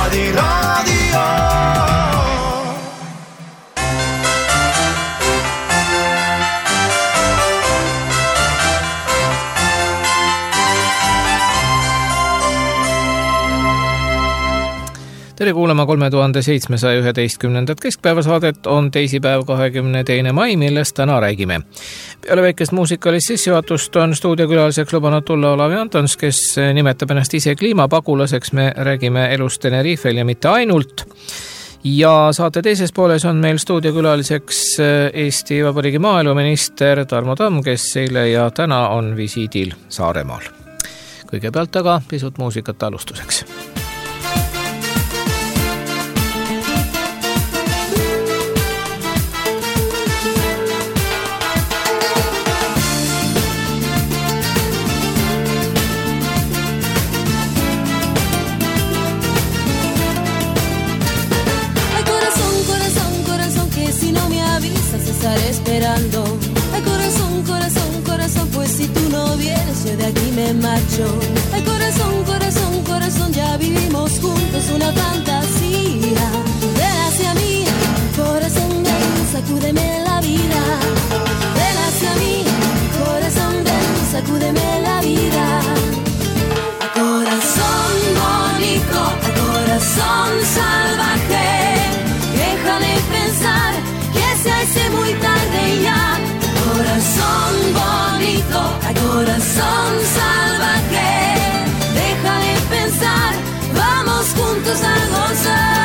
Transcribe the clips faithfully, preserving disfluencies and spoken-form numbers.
Laadi raadio. Tere kuulama kolme tuhande seitsmesaja üheteistkümnendat keskpäevasaadet, on teisipäev kahekümne teine mai, millest täna räägime. Peale väikest muusikalist sissejuhatust on stuudiokülaliseks lubanud tulla Olavi Antons, kes nimetab ennast ise kliimapagulaseks. Me räägime elust Tenerifel ja mitte ainult. Ja saate teises pooles on meil stuudiokülaliseks Eesti Vabariigi maaeluminister Tarmo Tamm, kes eile ja täna on visiidil Saaremaal. Kõigepealt aga pisut muusikat alustuseks. Esperando. Ay, corazón, corazón, corazón, pues si tú no vienes yo de aquí me marcho. Ay, corazón, corazón, corazón, ya vivimos juntos una fantasía. Ven hacia mí, corazón, ven, sacúdeme la vida. Ven hacia mí, corazón, ven, sacúdeme la vida. A corazón bonito, a corazón salvaje, déjame pensar que se hace muy tarde ya. Corazón bonito, a corazón salvaje, deja de pensar, vamos juntos a gozar.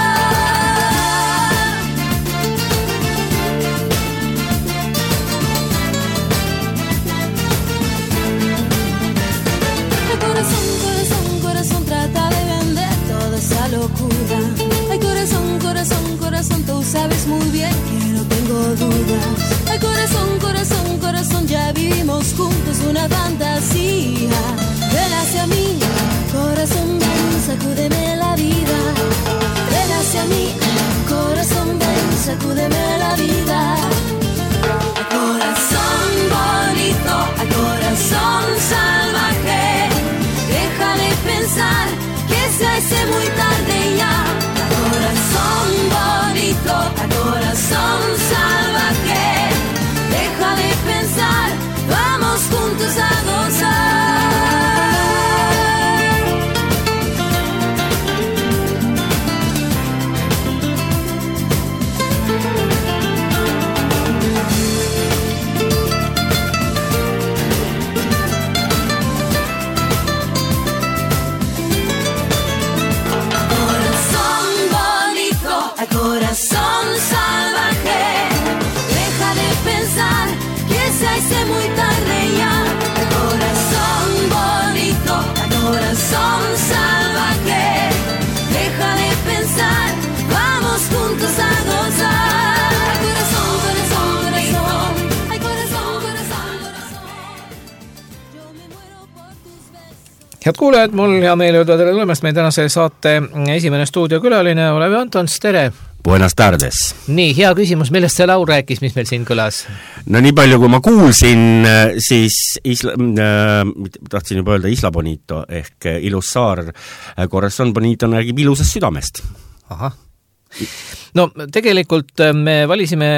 Ay, corazón, corazón, corazón, trata de vender toda esa locura. Ay, corazón, corazón, corazón, tú sabes muy bien que no tengo dudas. Ay, corazón, corazón, corazón, ya vivimos juntos una fantasía. Ven hacia mí, corazón, ven, sacúdeme la vida. Ven hacia mí, corazón, ven, sacúdeme la vida. A corazón bonito, a corazón salvaje, deja de pensar que se hace muy tarde ya. Corazón bonito, a corazón salvaje, deja de pensar, vamos juntos a gozar. Corazón salvaje, deja de pensar que se hace muy tarde ya. Corazón bonito, corazón salvaje, deja de pensar, vamos juntos a gozar. Corazón, corazón, corazón, ay corazón, corazón, corazón, yo me muero por tus besos. Head kuulajad, mul hea meel öelda tere tulemast meie tänase saate esimene stuudiokülaline Olavi Antons, tere! Buenas tardes. Nii, hea küsimus, millest see laul rääkis, mis meil siin kõlas? No nii palju, kui ma kuulsin, siis isla, äh, tahtsin juba öelda Isla Bonito ehk ilus saar. Corazon Bonito räägib ilusast südamest. Aha. No tegelikult me valisime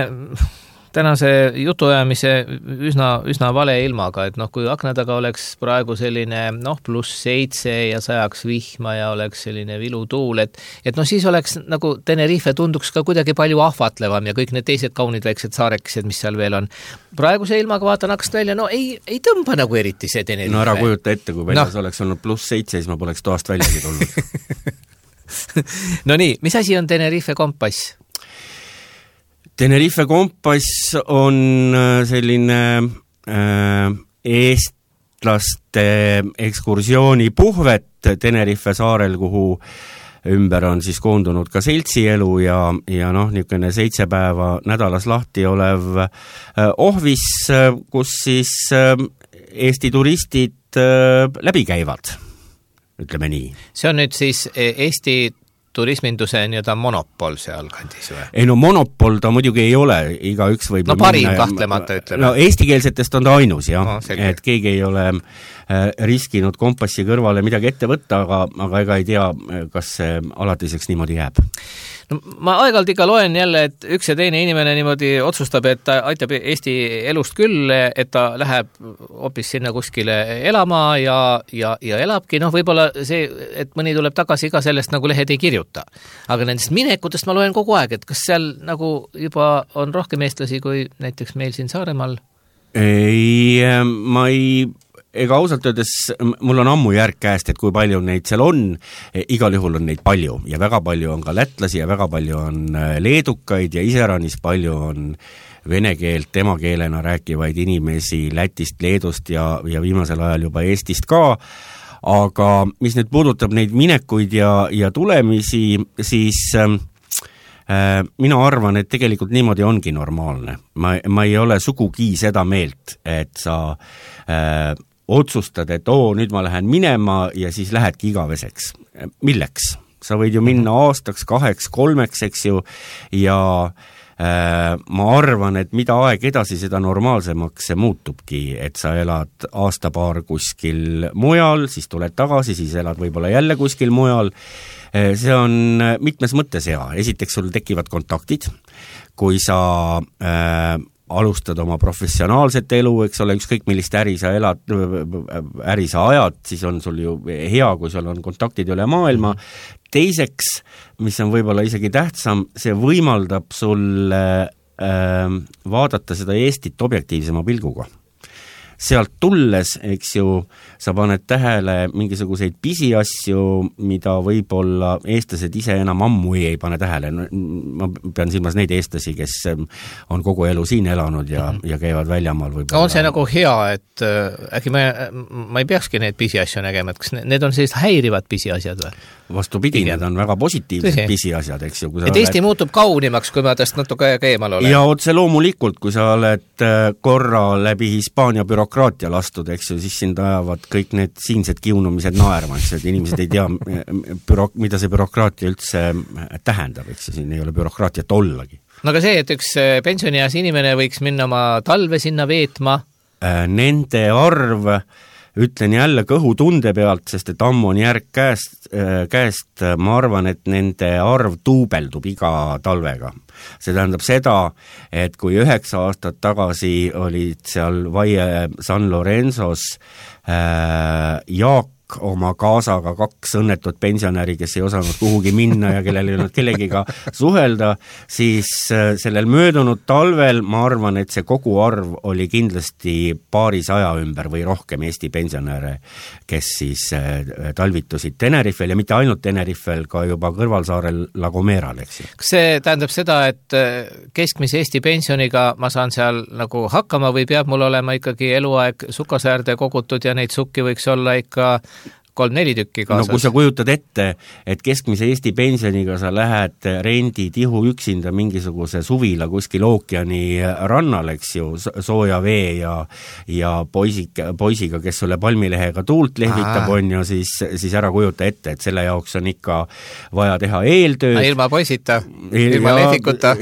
tänase jutuajamise üsna, üsna vale ilmaga, et noh, kui akna taga oleks praegu selline noh, pluss seitse ja sajaks vihma ja oleks selline vilutuul, et, et noh, siis oleks nagu Tenerife tunduks ka kuidagi palju ahvatlevam ja kõik need teised kaunid väiksed saarekesed, mis seal veel on. Praeguse ilmaga vaatan akst välja, no ei, ei tõmba nagu eriti see Tenerife. No ära kujuta ette, kui väljas no. oleks olnud pluss seitse, siis ma poleks toast väljagi tulnud. No nii, mis asi on Tenerife kompass? Tenerife kompass on selline äh, eestlaste ekskursiooni puhvet Tenerife saarel, kuhu ümber on siis koondunud ka seltsielu ja, ja noh, niisugune seitse päeva nädalas lahti olev äh, ohvis, kus siis äh, Eesti turistid äh, läbi käivad, ütleme nii. See on nüüd siis Eesti turisminduse nii-öelda monopol seal kandis või? Ei no monopol ta muidugi ei ole, igaüks võib no parim minna, kahtlemata ütleme. No eestikeelsetest on ta ainus, jah, no, et keegi ei ole riskinud kompassi kõrvale midagi ette võtta, aga, aga ega ei tea, kas see alatiseks niimoodi jääb. No, ma aeg-ajalt ikka loen jälle, et üks ja teine inimene niimoodi otsustab, et ta aitab Eesti elust küll, et ta läheb hoopis sinna kuskile elama ja, ja, ja elabki. Noh, võib-olla see, et mõni tuleb tagasi, iga sellest nagu lehed ei kirjuta. Aga nendest minekutest ma loen kogu aeg, et kas seal nagu juba on rohkem eestlasi kui näiteks meil siin Saaremaal? Ei, ma ei... Ega ausalt öeldes, mul on ammu järg käest, et kui palju neid seal on, igal juhul on neid palju ja väga palju on ka lätlasi ja väga palju on leedukaid ja iseranis palju on vene keelt emakeelena rääkivaid inimesi Lätist, Leedust ja, ja viimasel ajal juba Eestist ka, aga mis nüüd puudutab neid minekuid ja, ja tulemisi, siis äh, mina arvan, et tegelikult niimoodi ongi normaalne. Ma, ma ei ole sugugi seda meelt, et sa äh, otsustad, et oo, nüüd ma lähen minema ja siis lähedki igaveseks. Milleks? Sa võid ju minna aastaks, kaheks, kolmeks, eks ju, ja äh, ma arvan, et mida aeg edasi, seda normaalsemaks see muutubki, et sa elad aastapaar kuskil mujal, siis tuled tagasi, siis elad võib-olla jälle kuskil mujal. See on mitmes mõttes hea. Esiteks sul tekivad kontaktid, kui sa äh, alustad oma professionaalset elu, eks ole, ükskõik millist äri sa elad, äri sa ajad, siis on sul ju hea, kui sul on kontaktid üle maailma. Teiseks, mis on võib-olla isegi tähtsam, see võimaldab sul äh, vaadata seda Eestit objektiivsema pilguga. Sealt tulles, eks ju, sa paned tähele mingisuguseid pisiasju, mida võib-olla eestlased ise enam ammu ei pane tähele. Ma pean silmas neid eestlasi, kes on kogu elu siin elanud ja, ja käivad väljamaal. Võib-olla. On see nagu hea, et äh, äkki ma, ma ei peakski neid pisiasju nägema, et kas need on sellised häirivad pisiasjad või? Vastupidi, need on väga positiivsed Tõsi. pisiasjad, eks ju. Et Eesti oled... muutub kaunimaks, kui ma täst natuke aega eemal olen. Ja otse loomulikult, kui sa oled korra läbi Hispaania bürokraatia lastud, eks ju, siis sind ajavad kõik need siinsed kiunumised naerma, eks ju, et inimesed ei tea, büro... mida see bürokraatia üldse tähendab, eks ju, siin ei ole bürokraatiat ollagi. No aga see, et üks pensionieas inimene võiks minna oma talve sinna veetma? Nende arv... Ütlen jälle kõhu tunde pealt, sest et ammu on järg käest, käest, ma arvan, et nende arv tuubeldub iga talvega. See tähendab seda, et kui üheksa aastat tagasi olid seal Vaie San Lorenzos äh, Jaak oma kaasaga kaks õnnetut pensionäri, kes ei osanud kuhugi minna ja kellel ei olnud kellegiga suhelda, siis sellel möödunud talvel ma arvan, et see kogu arv oli kindlasti paari saja ümber või rohkem Eesti pensionäre, kes siis talvitusid Tenerifel ja mitte ainult Tenerifel, ka juba kõrvalsaarel La Gomeral, eks ju. Kas see tähendab seda, et keskmise Eesti pensioniga ma saan seal nagu hakkama või peab mul olema ikkagi eluaeg sukasäärde kogutud ja neid sukki võiks olla ikka kolm-neli tükki kaasas. No kui sa kujutad ette, et keskmise Eesti pensioniga sa lähed rendi tihu üksinda mingisuguse suvila kuskil ookeani rannal, eks ju, sooja vee ja, ja poisik, poisiga, kes sulle palmilehega tuult lehvitab, on ju, siis, siis ära kujuta ette, et selle jaoks on ikka vaja teha eeltööd. Ilma poisita, ilma lehvikuta.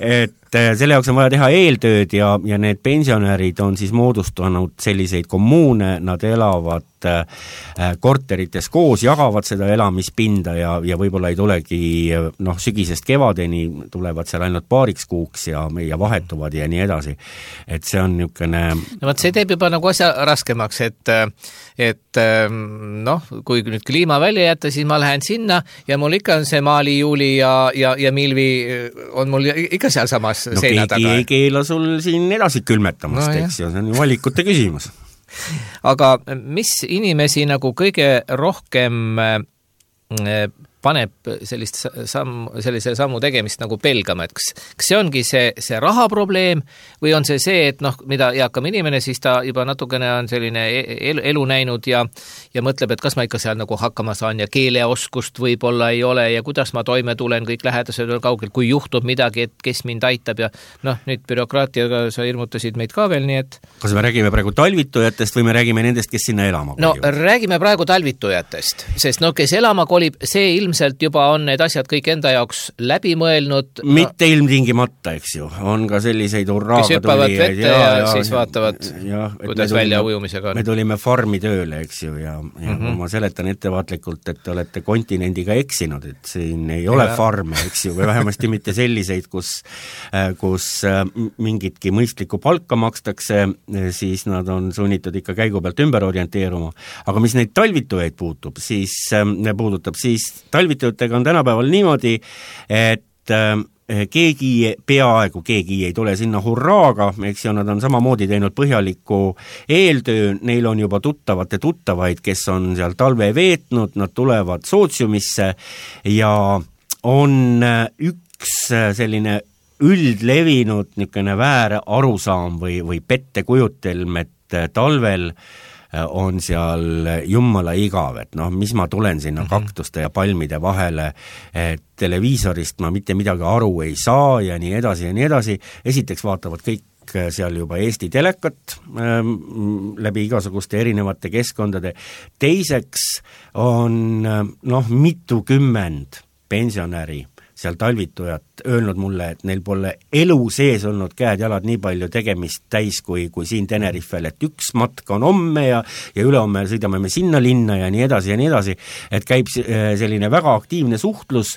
et selle jaoks on vaja teha eeltööd ja, ja need pensionärid on siis moodustanud selliseid kommuune, nad elavad korterites koos, jagavad seda elamispinda ja, ja võib-olla ei tulegi noh, sügisest kevadeni, tulevad seal ainult paariks kuuks ja, ja vahetuvad ja nii edasi. Et see on niisugune... No võt, see teeb juba nagu asja raskemaks, et, et noh, kui nüüd kliima välja jätta, siis ma lähen sinna ja mul ikka on see Maali, Juuli ja, ja, ja Milvi on mul ikka seal samas no, seina taga. No keegi ei keela sul siin edasi külmetamast, no, eks ju, see on ju valikute küsimus. Aga mis inimesi nagu kõige rohkem paneb sellist samm, sellise sammu tegemist nagu pelgama, et kas, kas see ongi see, see rahaprobleem või on see see, et noh, mida eakam inimene, siis ta juba natukene on selline elu, elu näinud ja, ja mõtleb, et kas ma ikka seal nagu hakkama saan ja keeleoskust võib-olla ei ole ja kuidas ma toime tulen, kõik lähedased on kaugel, kui juhtub midagi, et kes mind aitab ja noh, nüüd bürokraatiaga sa ilmutasid meid ka veel, nii et... Kas me räägime praegu talvitujatest või me räägime nendest, kes sinna elama kolib? No räägime praegu talvitujatest, sest no kes elama kolib, see ilmselt ilmselt juba on need asjad kõik enda jaoks läbi mõelnud. Mitte ilmtingimata, eks ju. On ka selliseid urraaga kes hüppavad vette ja, ja, ja siis vaatavad, ja, kuidas välja ujumisega on. Me tulime farmi tööle, eks ju, ja, ja mm -hmm. ma seletan ettevaatlikult, et te olete kontinendiga eksinud, et siin ei ole ja. farme, eks ju, või vähemasti mitte selliseid, kus, kus mingitki mõistlikku palka makstakse, siis nad on sunnitud ikka käigu pealt ümber orienteeruma. Aga mis neid talvitujaid puutub, siis puudutab, siis talvitujatega on tänapäeval niimoodi, et keegi, peaaegu keegi ei tule sinna hurraaga, eks ju, nad on samamoodi teinud põhjaliku eeltöö, neil on juba tuttavate tuttavaid, kes on seal talve veetnud, nad tulevad sootsiumisse ja on üks selline üldlevinud niisugune väär arusaam või, või pettekujutelm, et talvel on seal jummala igav, et noh, mis ma tulen sinna mm -hmm. kaktuste ja palmide vahele, et televiisorist ma mitte midagi aru ei saa ja nii edasi ja nii edasi. Esiteks vaatavad kõik seal juba Eesti telekat ähm, läbi igasuguste erinevate keskkondade. Teiseks on noh, mitukümmend pensionäri seal talvitujat öelnud mulle, et neil pole elu sees olnud käed-jalad nii palju tegemist täis kui, kui siin Tenerifel, et üks matk on homme ja, ja ülehomme sõidame me sinna linna ja nii edasi ja nii edasi, et käib selline väga aktiivne suhtlus,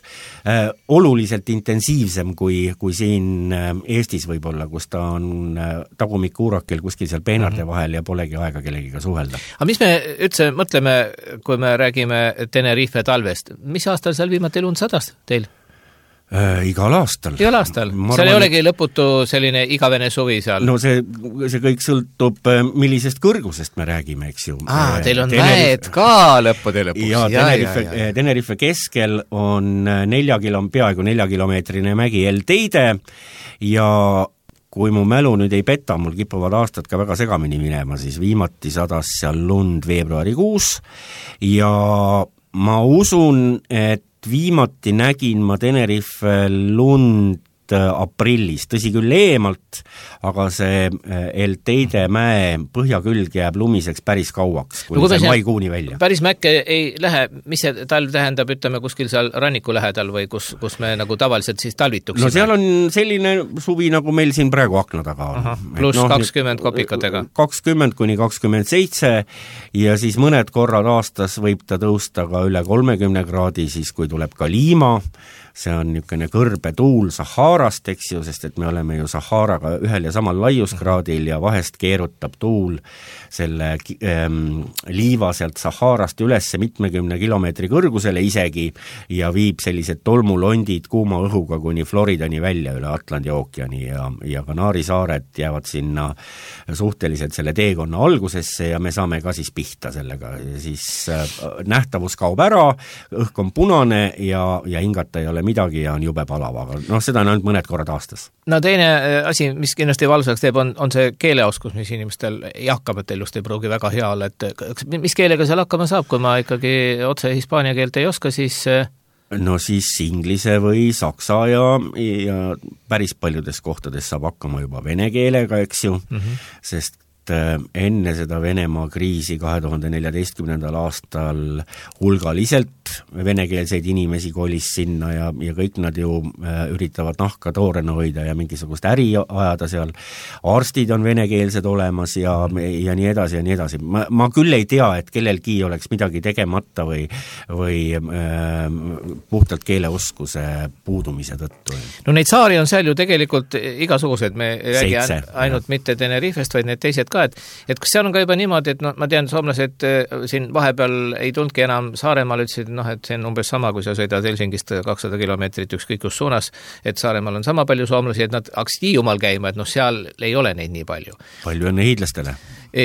äh, oluliselt intensiivsem kui, kui siin Eestis võib-olla, kus ta on tagumikuurakil kuskil seal peenarde vahel ja polegi aega kellegiga suhelda. Aga mis me üldse mõtleme, kui me räägime Tenerife talvest, mis aastal seal viimati lund sadas teil? Äh, igal aastal. Igal aastal? Seal ei olegi lõputu selline igavene suvi seal? No see, see kõik sõltub, millisest kõrgusest me räägime, eks ju. Aa, teil on Tenerife... mäed ka lõppude lõpus. Ja, ja, Tenerife, ja, ja. Tenerife keskel on nelja kilom, peaaegu nelja kilomeetrine mägi El Teide ja kui mu mälu nüüd ei peta, mul kipuvad aastad ka väga segamini minema, siis viimati sadas seal lund veebruarikuus ja ma usun, et viimati nägin ma Tenerife lund aprillis, tõsi küll eemalt, aga see El Teide mäe põhjakülg jääb lumiseks päris kauaks, kuni no, see maikuuni välja. Päris mäkke ei lähe, mis see talv tähendab, ütleme kuskil seal ranniku lähedal või kus, kus me nagu tavaliselt siis talvituksime? No seal on selline suvi, nagu meil siin praegu akna taga on. Aha, pluss no, kakskümmend kopikatega. kakskümmend kuni kakskümmend seitse ja siis mõned korrad aastas võib ta tõusta ka üle kolmekümne kraadi, siis kui tuleb ka liima, see on niisugune kõrbetuul Saharast, eks ju, sest et me oleme ju Saharaga ühel ja samal laiuskraadil ja vahest keerutab tuul selle ähm, liiva sealt Saharast ülesse mitmekümne kilomeetri kõrgusele isegi ja viib sellised tolmulondid kuuma õhuga kuni Floridani välja üle Atlandi ookeani ja, ja Kanaari saared jäävad sinna suhteliselt selle teekonna algusesse ja me saame ka siis pihta sellega ja siis äh, nähtavus kaob ära, õhk on punane ja, ja hingata ei ole midagi ja on jube palav, aga noh, seda on ainult mõned korrad aastas. No teine asi, mis kindlasti valsaks teeb, on, on see keeleoskus, mis inimestel jakkamatel just ei pruugi väga hea olla, et mis keelega seal hakkama saab, kui ma ikkagi otse hispaania keelt ei oska, siis no siis inglise või saksa ja, ja päris paljudes kohtades saab hakkama juba vene keelega, eks ju, mm -hmm. sest enne seda Venemaa kriisi kahe tuhande neljateistkümnendal aastal hulgaliselt venekeelseid inimesi kolis sinna ja, ja kõik nad ju üritavad nahka toorena hoida ja mingisugust äri ajada seal. Arstid on venekeelsed olemas ja, ja nii edasi ja nii edasi. Ma, ma küll ei tea, et kellelgi oleks midagi tegemata või, või äh, puhtalt keeleoskuse puudumise tõttu. No neid saari on seal ju tegelikult igasugused, me ei räägi ainult ja. mitte Tenerifest, vaid need teised ka, et, et kas seal on ka juba niimoodi, et no, ma tean, soomlased siin vahepeal ei tulnudki enam Saaremaal, ütlesid, noh, et see on umbes sama, kui sa sõidad Helsingist kakssada kilomeetrit ükskõik kus suunas, et Saaremaal on sama palju soomlasi, et nad hakkasid Hiiumaal käima, et noh, seal ei ole neid nii palju. Palju õnne hiidlastele.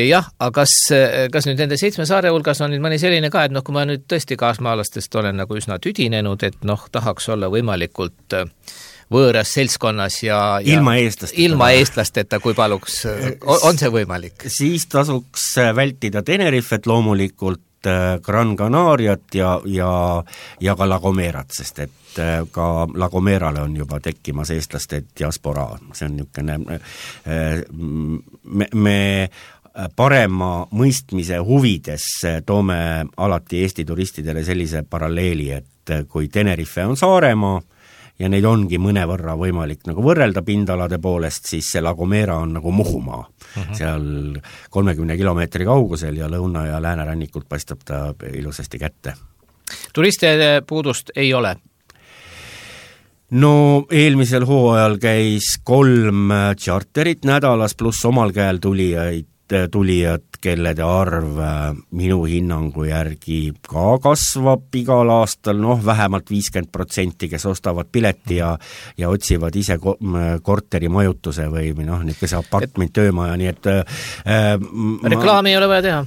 Jah, aga kas, kas nüüd nende seitsme saare hulgas on nüüd mõni selline ka, et noh, kui ma nüüd tõesti kaasmaalastest olen nagu üsna tüdinenud, et noh, tahaks olla võimalikult võõras seltskonnas ja, ja ilma eestlasteta, ilma eestlasteta, kui paluks, on see võimalik? Siis tasuks vältida Tenerifet loomulikult, Gran Canariat ja, ja, ja ka La Gomerat, sest et ka La Gomerale on juba tekkimas eestlaste diaspora. See on niisugune, me, me parema mõistmise huvides toome alati Eesti turistidele sellise paralleeli, et kui Tenerife on Saaremaa ja neid ongi mõnevõrra võimalik nagu võrrelda pindalade poolest, siis see La Gomera on nagu Muhumaa. Uh-huh. Seal kolmekümne kilomeetri kaugusel ja lõuna- ja läänerannikult paistab ta ilusasti kätte. Turistide puudust ei ole? No eelmisel hooajal käis kolm charterit nädalas pluss omal käel tulijaid, tulijad, kellede arv minu hinnangu järgi ka kasvab igal aastal, noh vähemalt viiskümmend protsenti, kes ostavad pileti ja, ja otsivad ise korteri majutuse või noh, niisuguse apartment töömaja, nii et äh, reklaami ma... ei ole vaja teha?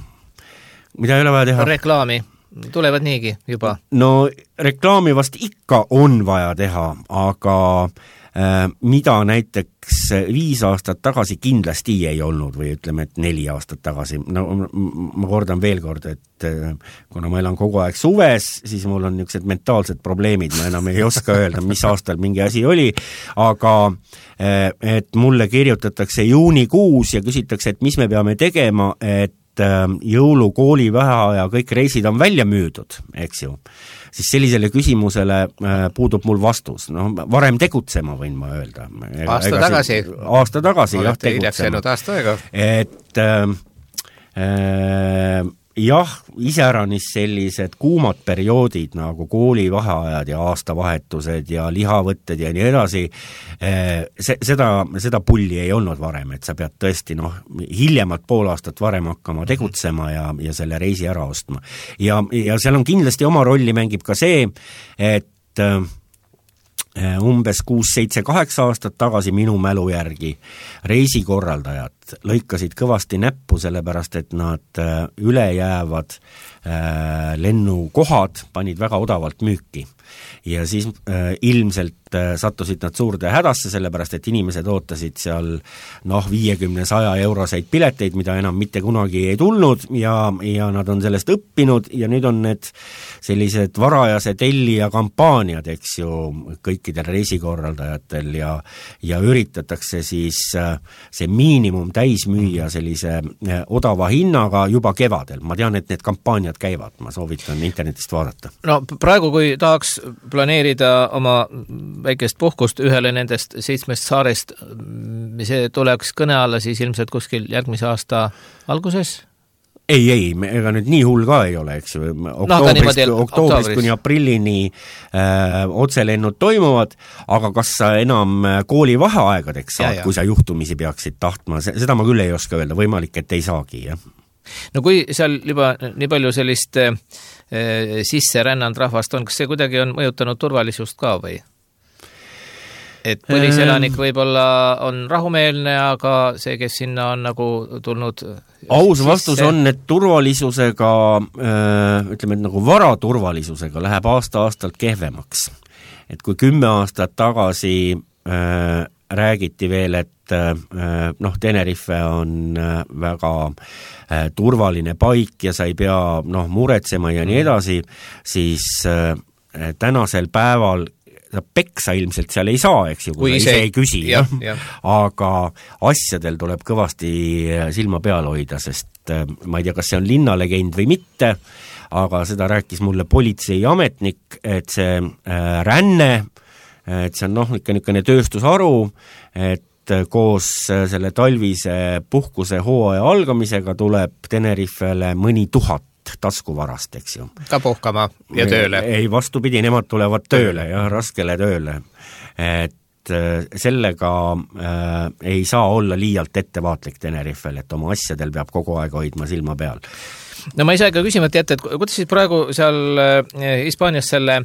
Mida ei ole vaja teha? Reklaami. Tulevad niigi juba. No reklaami vast ikka on vaja teha, aga äh, mida näiteks viis aastat tagasi kindlasti ei olnud või ütleme, et neli aastat tagasi. No ma kordan veel kord, et äh, kuna ma elan kogu aeg suves, siis mul on niisugused mentaalsed probleemid, ma enam ei oska öelda, mis aastal mingi asi oli, aga äh, et mulle kirjutatakse juunikuus ja küsitakse, et mis me peame tegema, et jõulu, kooli, väheaja, kõik reisid on välja müüdud, eks ju, siis sellisele küsimusele puudub mul vastus. No, varem tegutsema võin ma öelda. Aasta ega tagasi? Aasta tagasi, jah, tegutsema. Aasta aega. Et äh, äh, jah, iseäranis sellised kuumad perioodid nagu koolivaheajad ja aastavahetused ja lihavõtted ja nii edasi, se, seda, seda pulli ei olnud varem, et sa pead tõesti noh, hiljemalt pool aastat varem hakkama tegutsema ja, ja selle reisi ära ostma. Ja, ja seal on kindlasti oma rolli mängib ka see, et umbes kuus, seitse, kaheksa aastat tagasi minu mälu järgi reisikorraldajad lõikasid kõvasti näppu, sellepärast et nad ülejäävad lennukohad panid väga odavalt müüki. Ja siis äh, ilmselt äh, sattusid nad suurde hädasse, sellepärast et inimesed ootasid seal noh, viiekümne saja euroseid pileteid, mida enam mitte kunagi ei tulnud ja, ja nad on sellest õppinud ja nüüd on need sellised varajase tellija kampaaniad, eks ju, kõikidel reisikorraldajatel ja, ja üritatakse siis äh, see miinimum täis müüa sellise äh, odava hinnaga juba kevadel. Ma tean, et need kampaaniad käivad, ma soovitan internetist vaadata. No praegu, kui tahaks planeerida oma väikest puhkust ühele nendest seitsmest saarest, see tuleks kõne alla siis ilmselt kuskil järgmise aasta alguses? Ei, ei, ega nüüd nii hull ka ei ole, eks ju. Oktoobrist, no, oktoobrist kuni aprillini äh, otselennud toimuvad, aga kas sa enam koolivaheaegadeks saad, ja, ja. Kui sa juhtumisi peaksid tahtma, seda ma küll ei oska öelda, võimalik, et ei saagi, jah. No kui seal juba nii palju sellist äh, sisse rännanud rahvast on, kas see kuidagi on mõjutanud turvalisust ka või? Et põliselanik võib-olla on rahumeelne, aga see, kes sinna on nagu tulnud aus vastus sisse... on, et turvalisusega, äh, ütleme, et nagu varaturvalisusega läheb aasta-aastalt kehvemaks. Et kui kümme aastat tagasi äh, räägiti veel, et noh, Tenerife on väga turvaline paik ja sa ei pea noh, muretsema ja nii edasi, siis tänasel päeval sa peksa ilmselt seal ei saa, eks ju, kui, kui ise ei küsi, ja, ja. Aga asjadel tuleb kõvasti silma peal hoida, sest ma ei tea, kas see on linnalegend või mitte, aga seda rääkis mulle politseiametnik, et see ränne, et see on noh, ikka niisugune tööstusharu, et koos selle talvise puhkuse hooaja algamisega tuleb Tenerifele mõni tuhat taskuvarast, eks ju. Ka puhkama ja tööle. Ei, vastupidi, nemad tulevad tööle ja raskele tööle. Et sellega äh, ei saa olla liialt ettevaatlik Tenerifel, et oma asjadel peab kogu aeg hoidma silma peal. No ma ei saa ka küsimata jätta, et kuidas siis praegu seal Hispaanias selle,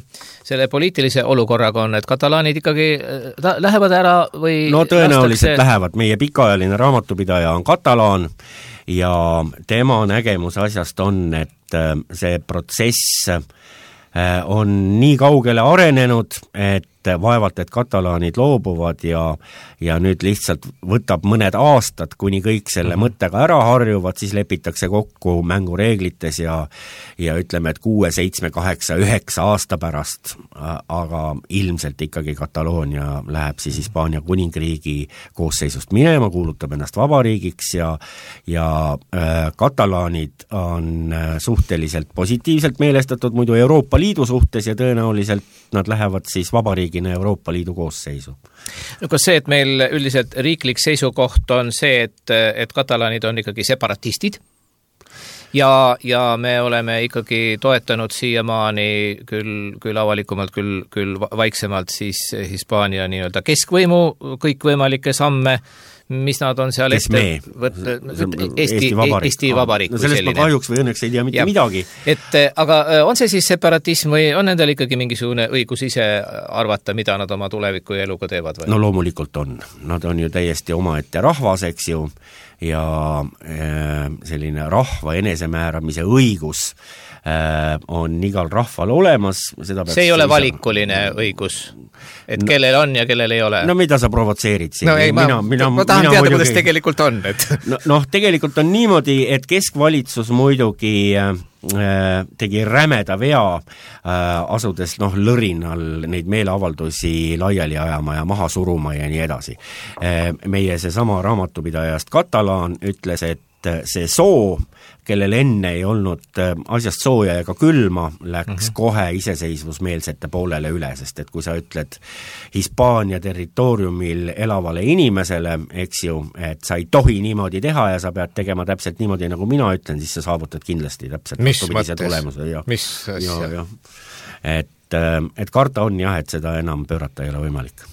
selle poliitilise olukorraga on, et katalaanid ikkagi ta, lähevad ära või no tõenäoliselt lastakse... lähevad, meie pikaajaline raamatupidaja on katalaan ja tema nägemus asjast on, et see protsess on nii kaugele arenenud, et vaevalt, et katalaanid loobuvad ja, ja nüüd lihtsalt võtab mõned aastad, kuni kõik selle mm-hmm. mõttega ära harjuvad, siis lepitakse kokku mängureeglites ja, ja ütleme, et kuue, seitsme, kaheksa, üheksa aasta pärast, aga ilmselt ikkagi Kataloonia läheb siis Hispaania kuningriigi koosseisust minema, kuulutab ennast vabariigiks ja, ja äh, katalaanid on äh, suhteliselt positiivselt meelestatud muidu Euroopa Liidu suhtes ja tõenäoliselt nad lähevad siis vabariigina Euroopa Liidu koosseisu. No kas see, et meil üldiselt riiklik seisukoht on see, et, et katalaanid on ikkagi separatistid ja, ja me oleme ikkagi toetanud siiamaani küll, küll avalikumalt, küll, küll vaiksemalt siis Hispaania nii-öelda keskvõimu kõikvõimalikke samme, mis nad on seal Kes ette võt, Eesti, Eesti Vabariik, Eesti Vabariik no sellest ma kahjuks või õnneks ei tea mitte ja. midagi. Et, aga on see siis separatism või on nendel ikkagi mingisugune õigus ise arvata, mida nad oma tuleviku ja eluga teevad? Või? No loomulikult on. Nad on ju täiesti omaette rahvas, eks ju, ja selline rahva enesemääramise õigus on igal rahval olemas. Seda see ei ole valikuline isa... õigus, et no, kellel on ja kellel ei ole. No mida sa provotseerid siin? No ei, mina, ma, mina, ma tahan mina teada, muidugi... kuidas tegelikult on. Et... no, noh, tegelikult on niimoodi, et keskvalitsus muidugi äh, tegi rämeda vea äh, asudes noh, lõrinal neid meeleavaldusi laiali ajama ja maha suruma ja nii edasi. Äh, meie see sama raamatupidajast Katalaan ütles, et see soo, kellel enne ei olnud asjast sooja ega külma, läks mm-hmm. kohe iseseisvusmeelsete poolele üle, sest et kui sa ütled Hispaania territooriumil elavale inimesele, eks ju, et sa ei tohi niimoodi teha ja sa pead tegema täpselt niimoodi, nagu mina ütlen, siis sa saavutad kindlasti täpselt mis mõttes? Ja, mis asja? Ja, ja. Et, et karta on jah, et seda enam pöörata ei ole võimalik.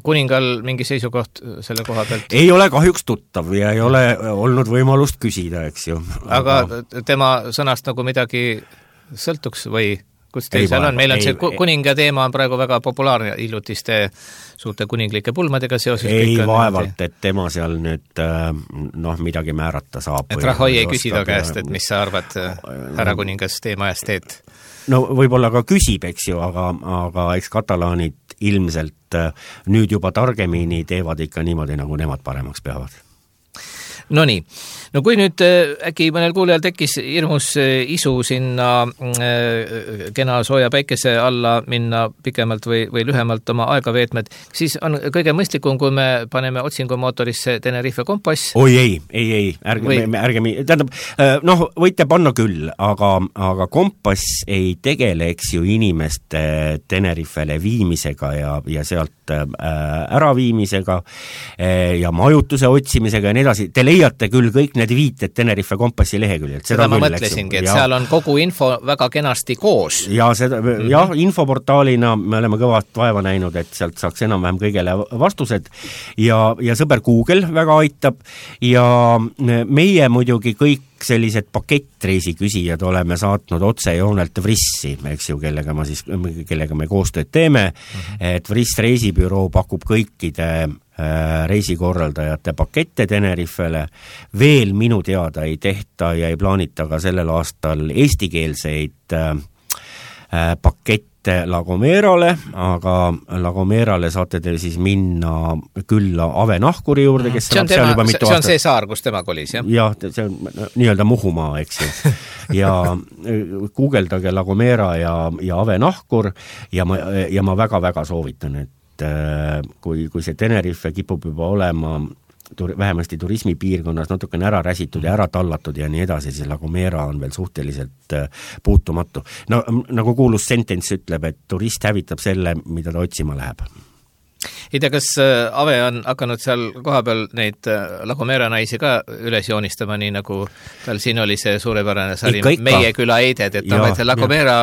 Kuningal mingi seisukoht selle koha pealt? Ei ole kahjuks tuttav ja ei ole olnud võimalust küsida, eks ju. Aga, aga tema sõnast nagu midagi sõltuks või kus teil seal on? Meil on ei, see kuninga teema on praegu väga populaarne hiljutiste suurte kuninglike pulmadega seoses. Ei vaevalt, et tema seal nüüd noh, midagi määrata saab. Et Rahoi ei küsida käest, et mis sa arvad, härra kuningas teema eest teed? No võib-olla ka küsib, eks ju, aga, aga eks katalaanid ilmselt nüüd juba targemini teevad ikka niimoodi, nagu nemad paremaks peavad. No nii, no kui nüüd äkki mõnel kuulejal tekkis hirmus isu sinna kena sooja päikese alla minna pikemalt või, või lühemalt oma aega veetmed, siis on kõige mõistlikum, kui me paneme otsingumootorisse Tenerife kompass. Oi ei, ei, ei, ärge, või... me, ärge, tähendab, noh, võite panna küll, aga, aga kompass ei tegele, eks ju, inimeste Tenerifele viimisega ja, ja sealt äraviimisega ja majutuse otsimisega ja nii edasi. Te leiate küll kõik need viited Tenerife kompassi leheküljelt. Seda, seda ma küll, mõtlesingi, et ja. Seal on kogu info väga kenasti koos. Ja, seda, mm-hmm. ja infoportaalina me oleme kõvat vaeva näinud, et sealt saaks enam-vähem kõigele vastused ja, ja sõber Google väga aitab ja meie muidugi kõik sellised pakettreisi küsijad oleme saatnud otsejoonelt Vrissi, eks ju, kellega, ma siis, kellega me koostööd teeme, mm-hmm. et Vriss reisibüroo pakub kõikide reisikorraldajate pakette Tenerifele. Veel minu teada ei tehta ja ei plaanita ka sellel aastal eestikeelseid pakette La Gomerale, aga La Gomerale saate te siis minna külla Ave Nahkuri juurde, kes see on, tema, juba mitu see on see saar, kus tema kolis, jah? Jah, see on nii-öelda Muhumaa, eks ju. Ja guugeldage La Gomera ja, ja Ave Nahkur ja ma, ja ma väga-väga soovitan, et kui, kui see Tenerife kipub juba olema tur, vähemasti turismipiirkonnas natukene ära räsitud ja ära tallatud ja nii edasi, siis La Gomera on veel suhteliselt puutumatu. No nagu kuulus sentence ütleb, et turist hävitab selle, mida ta otsima läheb. Ei tea, kas Ave on hakanud seal kohapeal neid La Gomera naisi ka üles joonistama, nii nagu tal siin oli see suurepärane sari Meie küla eided, et on La Gomera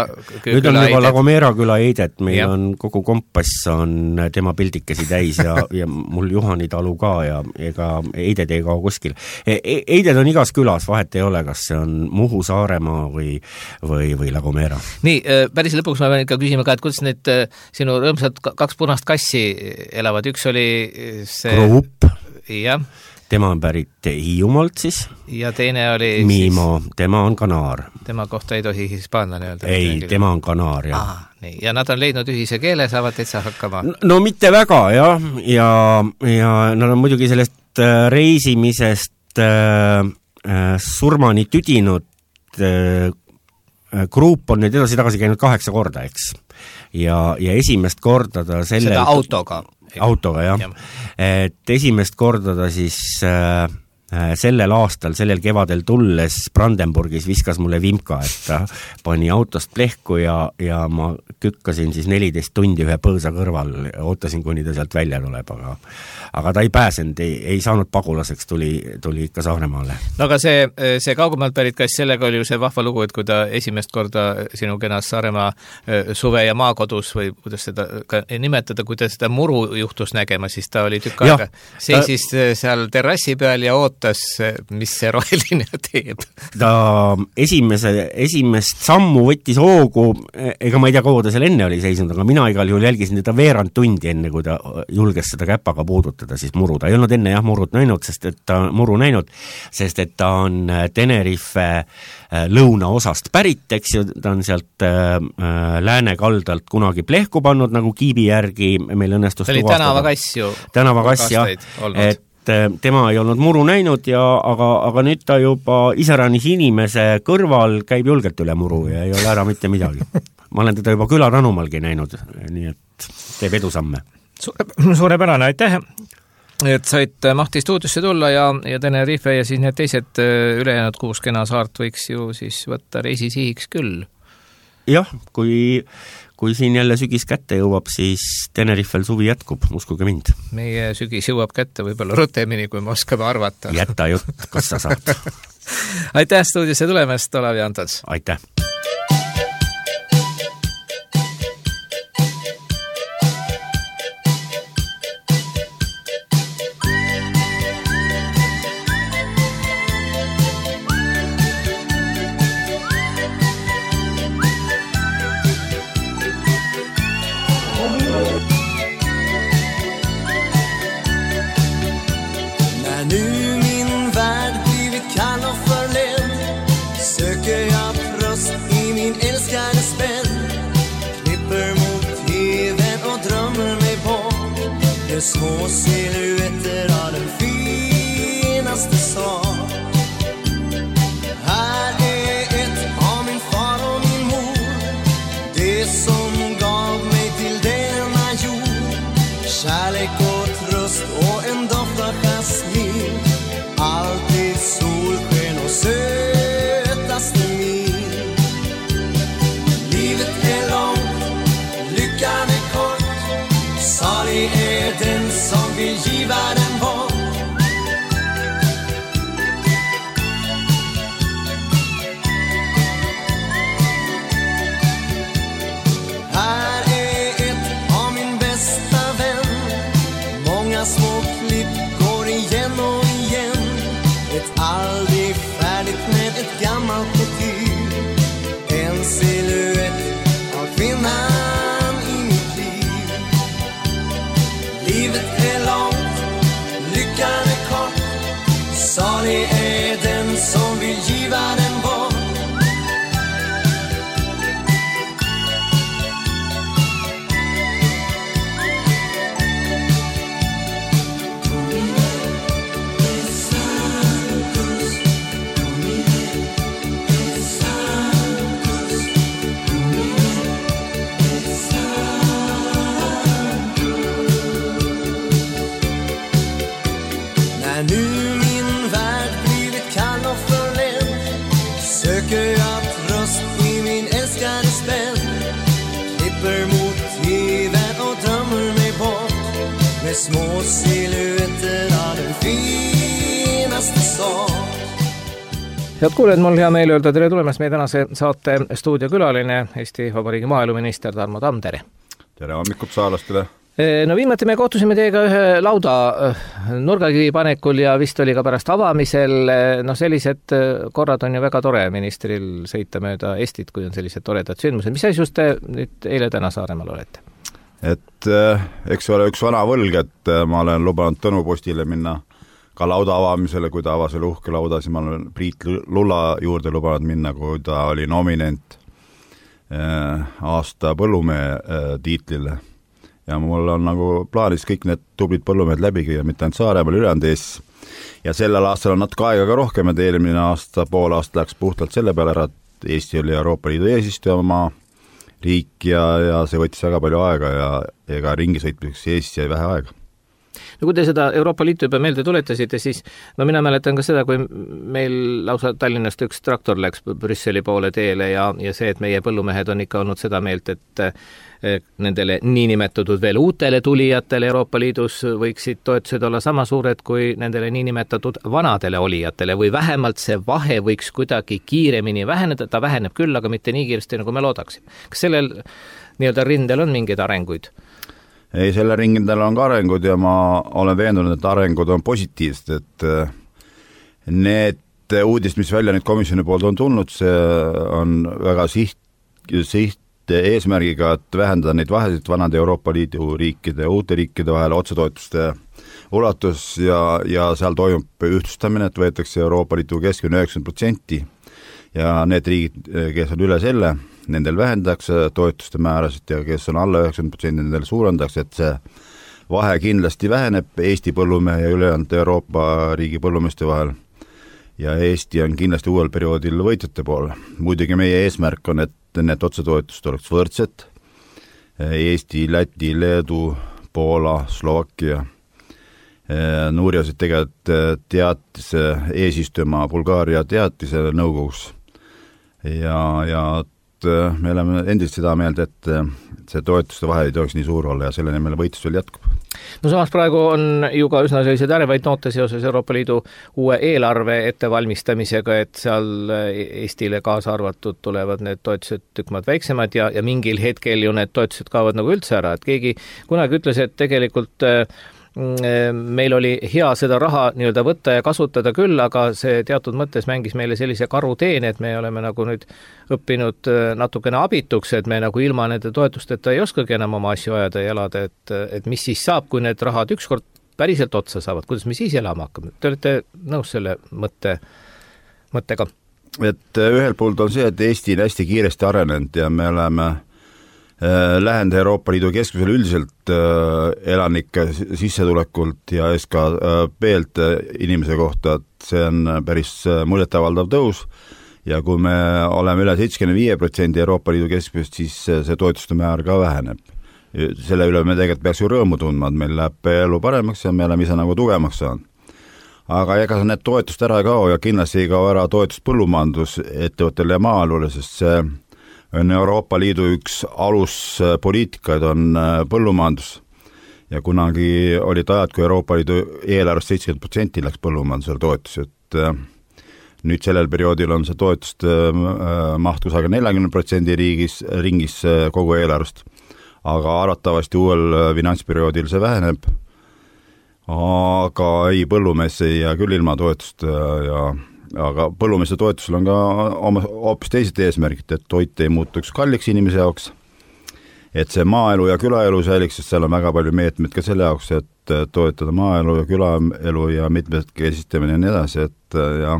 küla nüüd on juba La Gomera küla eided, meil ja. On kogu kompass on tema pildikesi täis ja, ja mul Juhani talu ka ja ega eided ei kao kuskil. Eided on igas külas, vahet ei ole, kas see on Muhu, Saaremaa või, või, või La Gomera. Nii, päris lõpuks ma pean ikka küsima ka, et kuidas need sinu rõõmsad kaks punast kassi elavad, üks oli see... Group. Jah. tema on pärit Hiiumaalt siis. Ja teine oli Miimo, siis... tema on kanaar. Tema kohta ei tohi hispaanlane öelda. Ei, tema on kanaar, jah. Aha, nii. Ja nad on leidnud ühise keele, saavad täitsa hakkama? No, no mitte väga, jah. Ja, ja nad on muidugi sellest reisimisest äh, äh, surmani tüdinud äh, grupp on nüüd edasi-tagasi käinud kaheksa korda, eks. Ja, ja esimest korda ta sellel... Seda autoga. Autoga, jah. Ja. Et esimest korda ta siis äh, sellel aastal, sellel kevadel tulles Brandenburgis viskas mulle vimka, et ta pani autost plehku ja, ja ma kükkasin siis neliteist tundi ühe põõsa kõrval, ootasin, kuni ta sealt välja tuleb, aga, aga ta ei pääsenud, ei, ei saanud pagulaseks, tuli, tuli ikka Saaremaale. No aga see, see kaugemalt pärit kass, sellega oli ju see vahva lugu, et kui ta esimest korda sinu kenas Saaremaa suve- ja maakodus või kuidas seda ka nimetada, kui ta seda muru juhtus nägema, siis ta oli tükk aega seisis ta... seal terrassi peal ja oot mis see roheline teeb. Ta esimese, esimest sammu võttis hoogu, ega ma ei tea, kaua ta seal enne oli seisnud, aga mina igal juhul jälgisin teda veerand tundi enne, kui ta julges seda käpaga puudutada, siis muru. Ta ei olnud enne jah murut näinud, sest et ta muru näinud, sest et ta on Tenerife lõunaosast pärit, eks ju, ta on sealt äh, lääne kaldalt kunagi plehku pannud, nagu kiibi järgi meil õnnestus tuvastada. See oli tänavakass ju. Tänavakass, jah, et tema ei olnud muru näinud, ja, aga, aga nüüd ta juba iseranis inimese kõrval käib julgelt üle muru ja ei ole ära mitte midagi. Ma olen teda juba küla Tanumalgi näinud, nii et teeb edusamme. Suure, suurepärane, aitäh, et said Mahti stuudiosse tulla ja, ja Tenerife ja siis need teised ülejäänud kuus kena saart võiks ju siis võtta reisisihiks küll. Jah, kui... Kui siin jälle sügis kätte jõuab, siis Tenerifel suvi jätkub, uskuge mind. Meie sügis jõuab kätte võib-olla rutemini, kui me oskame arvata. Jätta jutt, kas sa saad. Aitäh stuudiosse tulemast, Olav Antons. Aitäh. Små silhuetter av den finaste sak. Här är ett av min far och min mor, det som gav mig till denna jord. Kärlek och tröst och en doft av jasmin, alltid solsken och sötaste min. Livet är långt, lyckan är kort, salig är den som vill giva den bort. Här är ett av min bästa vän, många små klipp går igen och igen. Ett aldrig färdigt med ett gammalt motiv, en silhuett av kvinnan i mitt liv. Livet är långt, lyckan är kort, salig är den som vill giva den bort. Nu min värld blivit kall och förländ, söker jag tröst i min älskade spänn. Klipper mot tvn och drömmer mig bort, med små silhuetter av den finaste sak. Head kuuled, mul hea meel öelda tere tulemast meie tänase saate stuudiokülaline, Eesti Vabariigi maaeluminister Tarmo Tamm, tere! Tere hommikut saalastele! No viimati me kohtusime teiega ühe lauda nurgakivi panekul ja vist oli ka pärast avamisel. No sellised korrad on ju väga tore ministril sõita mööda Eestit, kui on sellised toredad sündmused. Mis asjus te nüüd eile täna Saaremaal olete? Et eks ole üks vana võlg, et ma olen lubanud Tõnu postile minna ka lauda avamisele, kui ta avas selle uhke lauda, siis ma olen Priit Lulla juurde lubanud minna, kui ta oli nominent aasta põllumehe tiitlile. Ja mul on nagu plaanis kõik need tublid põllumehed läbigi ja mitte ainult Saaremaal, ülejäänud Eestis. Ja sellel aastal on natuke aega ka rohkem, et eelmine aasta, pool aasta läks puhtalt selle peale ära, et Eesti oli Euroopa Liidu eesistuja oma riik ja, ja see võttis väga palju aega ja ega ringi sõitmiseks Eestis jäi vähe aega. No kui te seda Euroopa Liitu juba meelde tuletasite, siis no mina mäletan ka seda, kui meil lausa Tallinnast üks traktor läks Brüsseli poole teele ja, ja see, et meie põllumehed on ikka olnud seda meelt, et nendele niinimetatud veel uutele tulijatele Euroopa Liidus võiksid toetused olla sama suured kui nendele niinimetatud vanadele olijatele või vähemalt see vahe võiks kuidagi kiiremini väheneda, ta väheneb küll, aga mitte nii kiiresti, nagu me loodaksime. Kas sellel nii-öelda rindel on mingeid arenguid? Ei, selle ringindel on ka arengud ja ma olen veendunud, et arengud on positiivsed, et need uudist, mis välja nüüd komisjoni poolt on tulnud, see on väga siht, siht eesmärgiga, et vähendada neid vahesid vanade Euroopa Liidu riikide ja uute riikide vahel otsetoetuste ulatus ja, ja seal toimub ühtlustamine, et võetakse Euroopa Liidu keskmine üheksakümmend protsenti ja need riigid, kes on üle selle, nendel vähendatakse toetuste määrasid ja kes on alla üheksakümmend protsenti, nendel suurendatakse, et see vahe kindlasti väheneb Eesti põllumehe ja ülejäänud Euroopa riigi põllumeeste vahel ja Eesti on kindlasti uuel perioodil võitjate pool. Muidugi meie eesmärk on, et need otsetoetused oleks võrdsed. Eesti, Läti, Leedu, Poola, Slovakkia nuuriasid tegelikult teatise eesistuma Bulgaaria teatise nõukogus ja, ja me oleme endiselt seda meelt, et see toetuste vahe ei tohiks nii suur olla ja selle nimel võitlus veel jätkub. No samas praegu on ju ka üsna sellised ärevaid noote seoses Euroopa Liidu uue eelarve ettevalmistamisega, et seal Eestile kaasa arvatud tulevad need toetused tükmad väiksemad ja, ja mingil hetkel ju need toetused kaovad nagu üldse ära, et keegi kunagi ütles, et tegelikult meil oli hea seda raha nii-öelda võtta ja kasutada küll, aga see teatud mõttes mängis meile sellise karuteene, et me oleme nagu nüüd õppinud natukene abituks, et me nagu ilma nende toetusteta ei oskagi enam oma asju ajada ja elada, et, et mis siis saab, kui need rahad ükskord päriselt otsa saavad, kuidas me siis elama hakkame? Te olete nõus selle mõtte, mõttega? Et ühel poolt on see, et Eesti on hästi kiiresti arenenud ja me oleme läheneda Euroopa Liidu keskmisele üldiselt elanike sissetulekult ja S K P-lt inimese kohta, et see on päris muljetavaldav tõus ja kui me oleme üle seitsekümmend viis protsenti Euroopa Liidu keskmisest, siis see toetuste määr ka väheneb. Selle üle me tegelikult peaks ju rõõmu tundma, et meil läheb elu paremaks ja me oleme ise nagu tugevamaks saanud. Aga ega need toetust ära ei kao ja kindlasti ei kao ära toetust põllumajandus ettevõttele ja maalule, sest see on Euroopa Liidu üks aluspoliitikaid on põllumajandus ja kunagi olid ajad, kui Euroopa Liidu eelarvest seitsekümmend protsenti läks põllumajandusele toetus, et nüüd sellel perioodil on see toetust maht kusagil nelikümmend protsenti riigis, ringis kogu eelarvest, aga arvatavasti uuel finantsperioodil see väheneb, aga ei põllumees ei jää küll ilma toetust ja aga põllumeeste toetusel on ka oma hoopis teised eesmärgid, et toit ei muutuks kalliks inimese jaoks, et see maaelu ja külaelu säiliks, sest seal on väga palju meetmeid ka selle jaoks, et toetada maaelu ja külaelu ja mitmekesistamine ja nii edasi, et ja,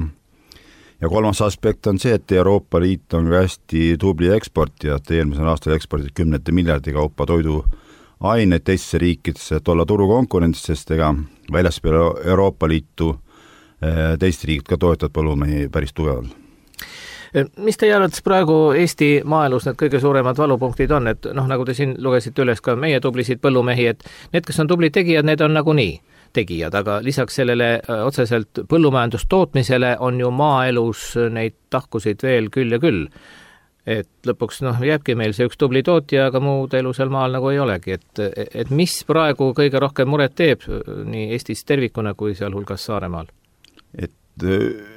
ja kolmas aspekt on see, et Euroopa Liit on hästi tubli eksportija, et eelmisel aastal ekspordid kümnete miljardi kaupa toidu aineid teistesse riikidesse, et olla turukonkurentsis, sest ega väljaspool Euroopa Liitu teist riigid ka toetavad põllumehi päris tugevalt. Mis teie arvates praegu Eesti maaelus need kõige suuremad valupunktid on, et noh, nagu te siin lugesite üles ka meie tublisid põllumehi, et need, kes on tublid tegijad, need on nagu nii tegijad, aga lisaks sellele otseselt põllumajandustootmisele on ju maaelus neid tahkusid veel küll ja küll. Et lõpuks noh, jääbki meil see üks tubli tootja, aga muud elu seal maal nagu ei olegi, et, et mis praegu kõige rohkem muret teeb nii Eestis tervikuna kui sealhulgas Saaremaal? Et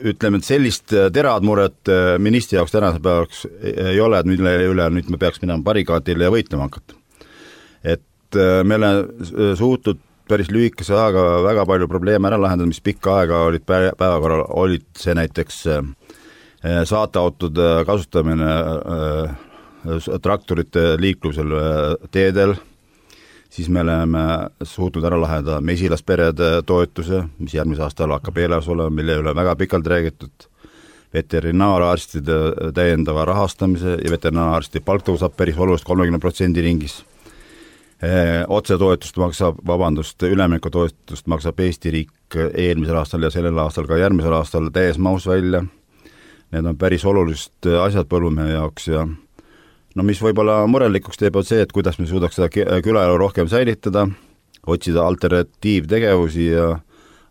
ütleme, et sellist terad muret ministri jaoks tänase päevaks ei ole, et mille üle nüüd me peaks minema barikaadile ja võitlema hakata. Et me oleme suutnud päris lühikese aega väga palju probleeme ära lahendada, mis pikka aega olid päevakorral, olid see näiteks saateautode kasutamine traktorite liiklusel teedel, siis me oleme suutnud ära lahendada mesilasperede toetuse, mis järgmise aastal hakkab eelarves olema, mille üle väga pikalt räägitud, veterinaararstide täiendava rahastamise ja veterinaararsti palk tõusab päris oluliselt kolmekümne protsendi ringis. Otsetoetust maksab, vabandust, üleminekutoetust maksab Eesti riik eelmisel aastal ja sellel aastal ka järgmisel aastal täies mahus välja. Need on päris olulised asjad põllumehe jaoks ja no mis võib-olla murelikuks teeb on see, et kuidas me suudaks seda külaelu rohkem säilitada, otsida alternatiivtegevusi ja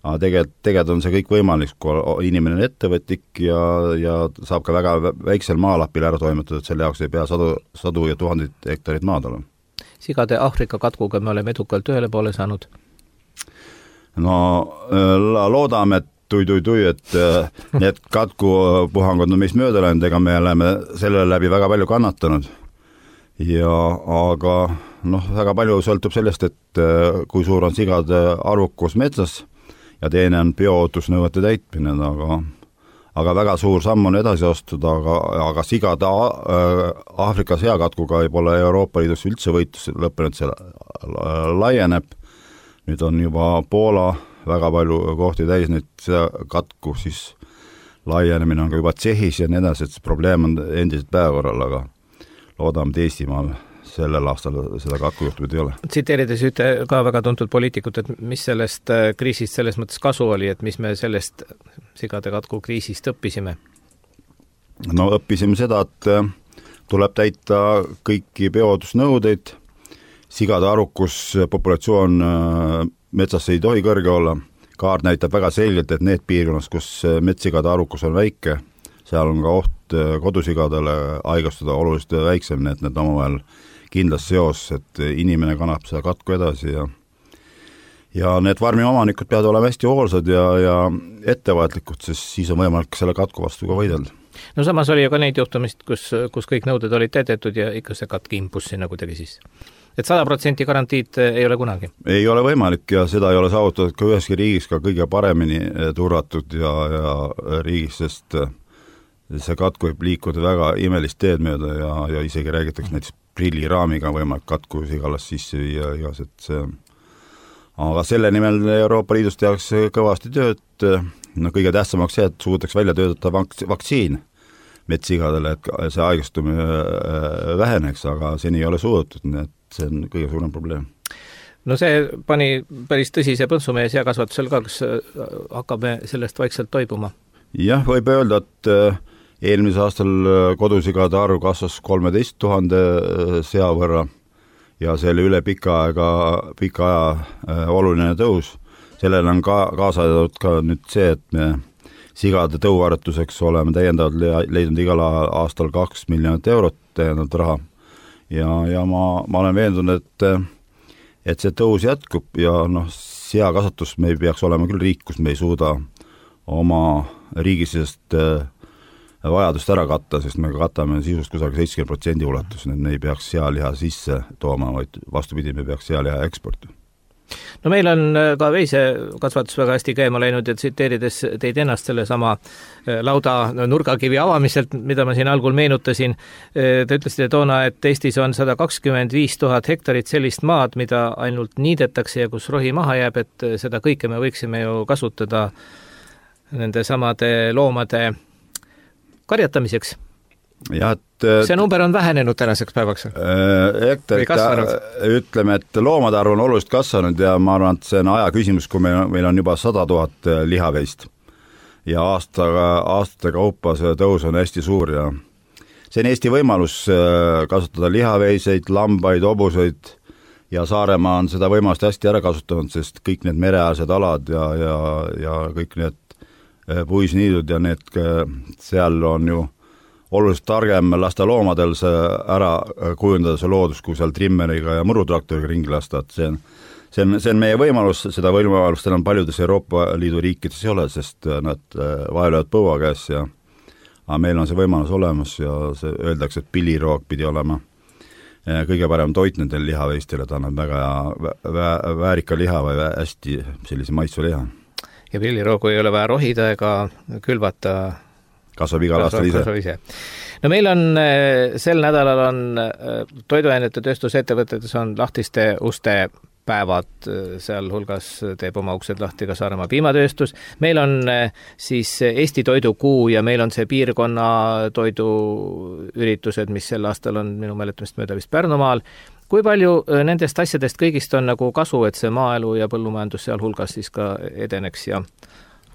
aga tegelikult, tegelikult on see kõik võimalik, kui inimene on ettevõtlik ja, ja saab ka väga väiksel maalapil ära toimetada, et selle jaoks ei pea sadu, sadu ja tuhanded hektarid maad olema. Sigade Aafrika katkuga me oleme edukalt ühele poole saanud? No loodame, et tui-tui-tui, et need katkupuhangud on meist mööda läinud, ega me oleme selle läbi väga palju kannatanud. Ja aga noh, väga palju sõltub sellest, et kui suur on sigade arvukus metsas ja teine on bioohutusnõuete täitmine, aga, aga väga suur samm on edasi astuda, aga, aga sigade Aafrika seakatkuga ei pole Euroopa Liidus üldse võitlus lõppenud, see laieneb. Nüüd on juba Poola väga palju kohti täis nüüd katku, siis laienemine on ka juba Tšehhis ja nii edasi, et see probleem on endiselt päevakorral, aga loodame, et Eestimaal sellel aastal seda katkujuhtumit ei ole. Tsiteerides ühte ka väga tuntud poliitikut, et mis sellest kriisist selles mõttes kasu oli, et mis me sellest sigade katku kriisist õppisime? No õppisime seda, et tuleb täita kõiki bioohutusnõudeid, sigade arukus populatsioon metsas ei tohi kõrge olla. Kaart näitab väga selgelt, et need piirkonnas, kus metssigade arukus on väike, seal on ka oht kodusigadele haigestuda oluliselt väiksem, et need omavahel kindlas seos, et inimene kannab seda katku edasi ja ja need farmi omanikud peavad olema hästi hoolsad ja, ja ettevaatlikud, sest siis on võimalik selle katku vastu ka võidelda. No samas oli ju ka neid juhtumist, kus, kus kõik nõuded olid täidetud ja ikka see katk impus sinna kuidagi siis. Et sada protsenti garantiid ei ole kunagi? Ei ole võimalik ja seda ei ole saavutatud ka üheski riigis ka kõige paremini turvatud ja, ja riigis, sest see katku võib liikuda väga imelist teed mööda ja, ja isegi räägitakse näiteks prilliraamiga võimalik katku sigalast sisse viia igas, et see aga selle nimel Euroopa Liidus tehakse kõvasti tööd, no kõige tähtsamaks see, et suudaks välja töötada vaks- vaktsiin metssigadele, et see haigestumine väheneks, aga seni ei ole suudetud, nii et see on kõige suurem probleem. No see pani päris tõsise põntsu meie seakasvatusel ka, kas hakkame sellest vaikselt toibuma? Jah, võib öelda, et eelmise aastal kodusigade arv kasvas kolmeteist tuhande sea võrra ja selle üle pika aega, pika aja oluline tõus. Sellele on ka kaasatud ka nüüd see, et me sigade tõuvaretuseks oleme täiendavalt leidnud igal aastal kaks miljonit eurot täiendavalt raha. Ja, ja ma, ma olen veendunud, et, et see tõus jätkub ja noh, seakasvatus me ei peaks olema küll riik, kus me ei suuda oma riigisest vajadust ära katta, sest me katame sisust kusagil seitsekümmend protsenti ulatus, et me ei peaks sealiha sisse tooma, vaid vastupidi, me peaks sealiha eksporti. No meil on ka veisekasvatus väga hästi käima läinud ja tsiteerides teid ennast selle sama lauda nurgakivi avamiselt, mida ma siin algul meenutasin, te ütlesite toona, et Eestis on sada kakskümmend viis tuhat hektarit sellist maad, mida ainult niidetakse ja kus rohi maha jääb, et seda kõike me võiksime ju kasutada nende samade loomade karjatamiseks. Ja, et, see number on vähenenud tänaseks päevaks? Hektarit, ütleme, et loomade arv on oluliselt kasvanud ja ma arvan, et see on aja küsimus, kui meil, meil on juba sada tuhat lihaveist ja aastaga, aastate kaupa see tõus on hästi suur ja see on Eesti võimalus kasutada lihaveiseid, lambaid, hobuseid ja Saaremaa on seda võimalust hästi ära kasutanud, sest kõik need mereäärsed alad ja, ja, ja kõik need puisniidud ja need seal on ju oluliselt targem lasta loomadel see ära kujundada see loodus, kui seal trimmeriga ja murutraktoriga ringi lasta, et see on, see on, see on meie võimalus, seda võimalust enam paljudes Euroopa Liidu riikides ei ole, sest nad vaevlevad põua käes ja aga meil on see võimalus olemas ja see öeldakse, et pilliroog pidi olema kõige parem toit nendel lihaveistele, ta annab väga vä väärika liha või hästi sellise maitsva liha. Ja pilliroogu ei ole vaja rohida ega külvata kasvab igal aastal ise. ise. No meil on, sel nädalal on toiduainete tööstusettevõtetes on lahtiste uste päevad, sealhulgas teeb oma uksed lahti ka Saaremaa piimatööstus. Meil on siis Eesti toidukuu ja meil on see piirkonna toiduüritused, mis sel aastal on minu mäletamist mööda vist Pärnumaal. Kui palju nendest asjadest kõigist on nagu kasu, et see maaelu ja põllumajandus sealhulgas siis ka edeneks ja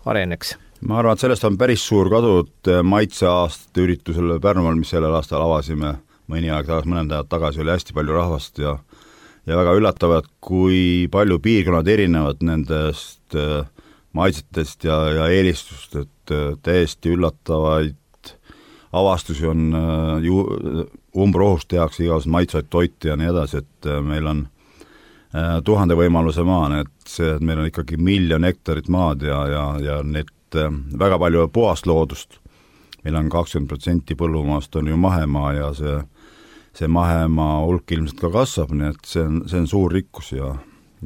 areneks? Ma arvan, et sellest on päris suur kasu, et maitseaastate üritusel Pärnumaal, mis sellel aastal avasime mõni aeg tagasi, mõned ajad tagasi, oli hästi palju rahvast ja ja väga üllatavad, kui palju piirkonnad erinevad nendest maitsetest ja, ja eelistust, et täiesti üllatavaid avastusi on ju, umbrohust tehakse igasugused maitsevaid toite ja nii edasi, et meil on tuhande võimaluse maa, et see, et meil on ikkagi miljon hektarit maad ja, ja, ja need väga palju puhast loodust. Meil on kakskümmend protsenti põllumaast on ju mahemaa ja see see mahemaa hulk ilmselt ka kasvab, nii et see on, see on suur rikkus ja,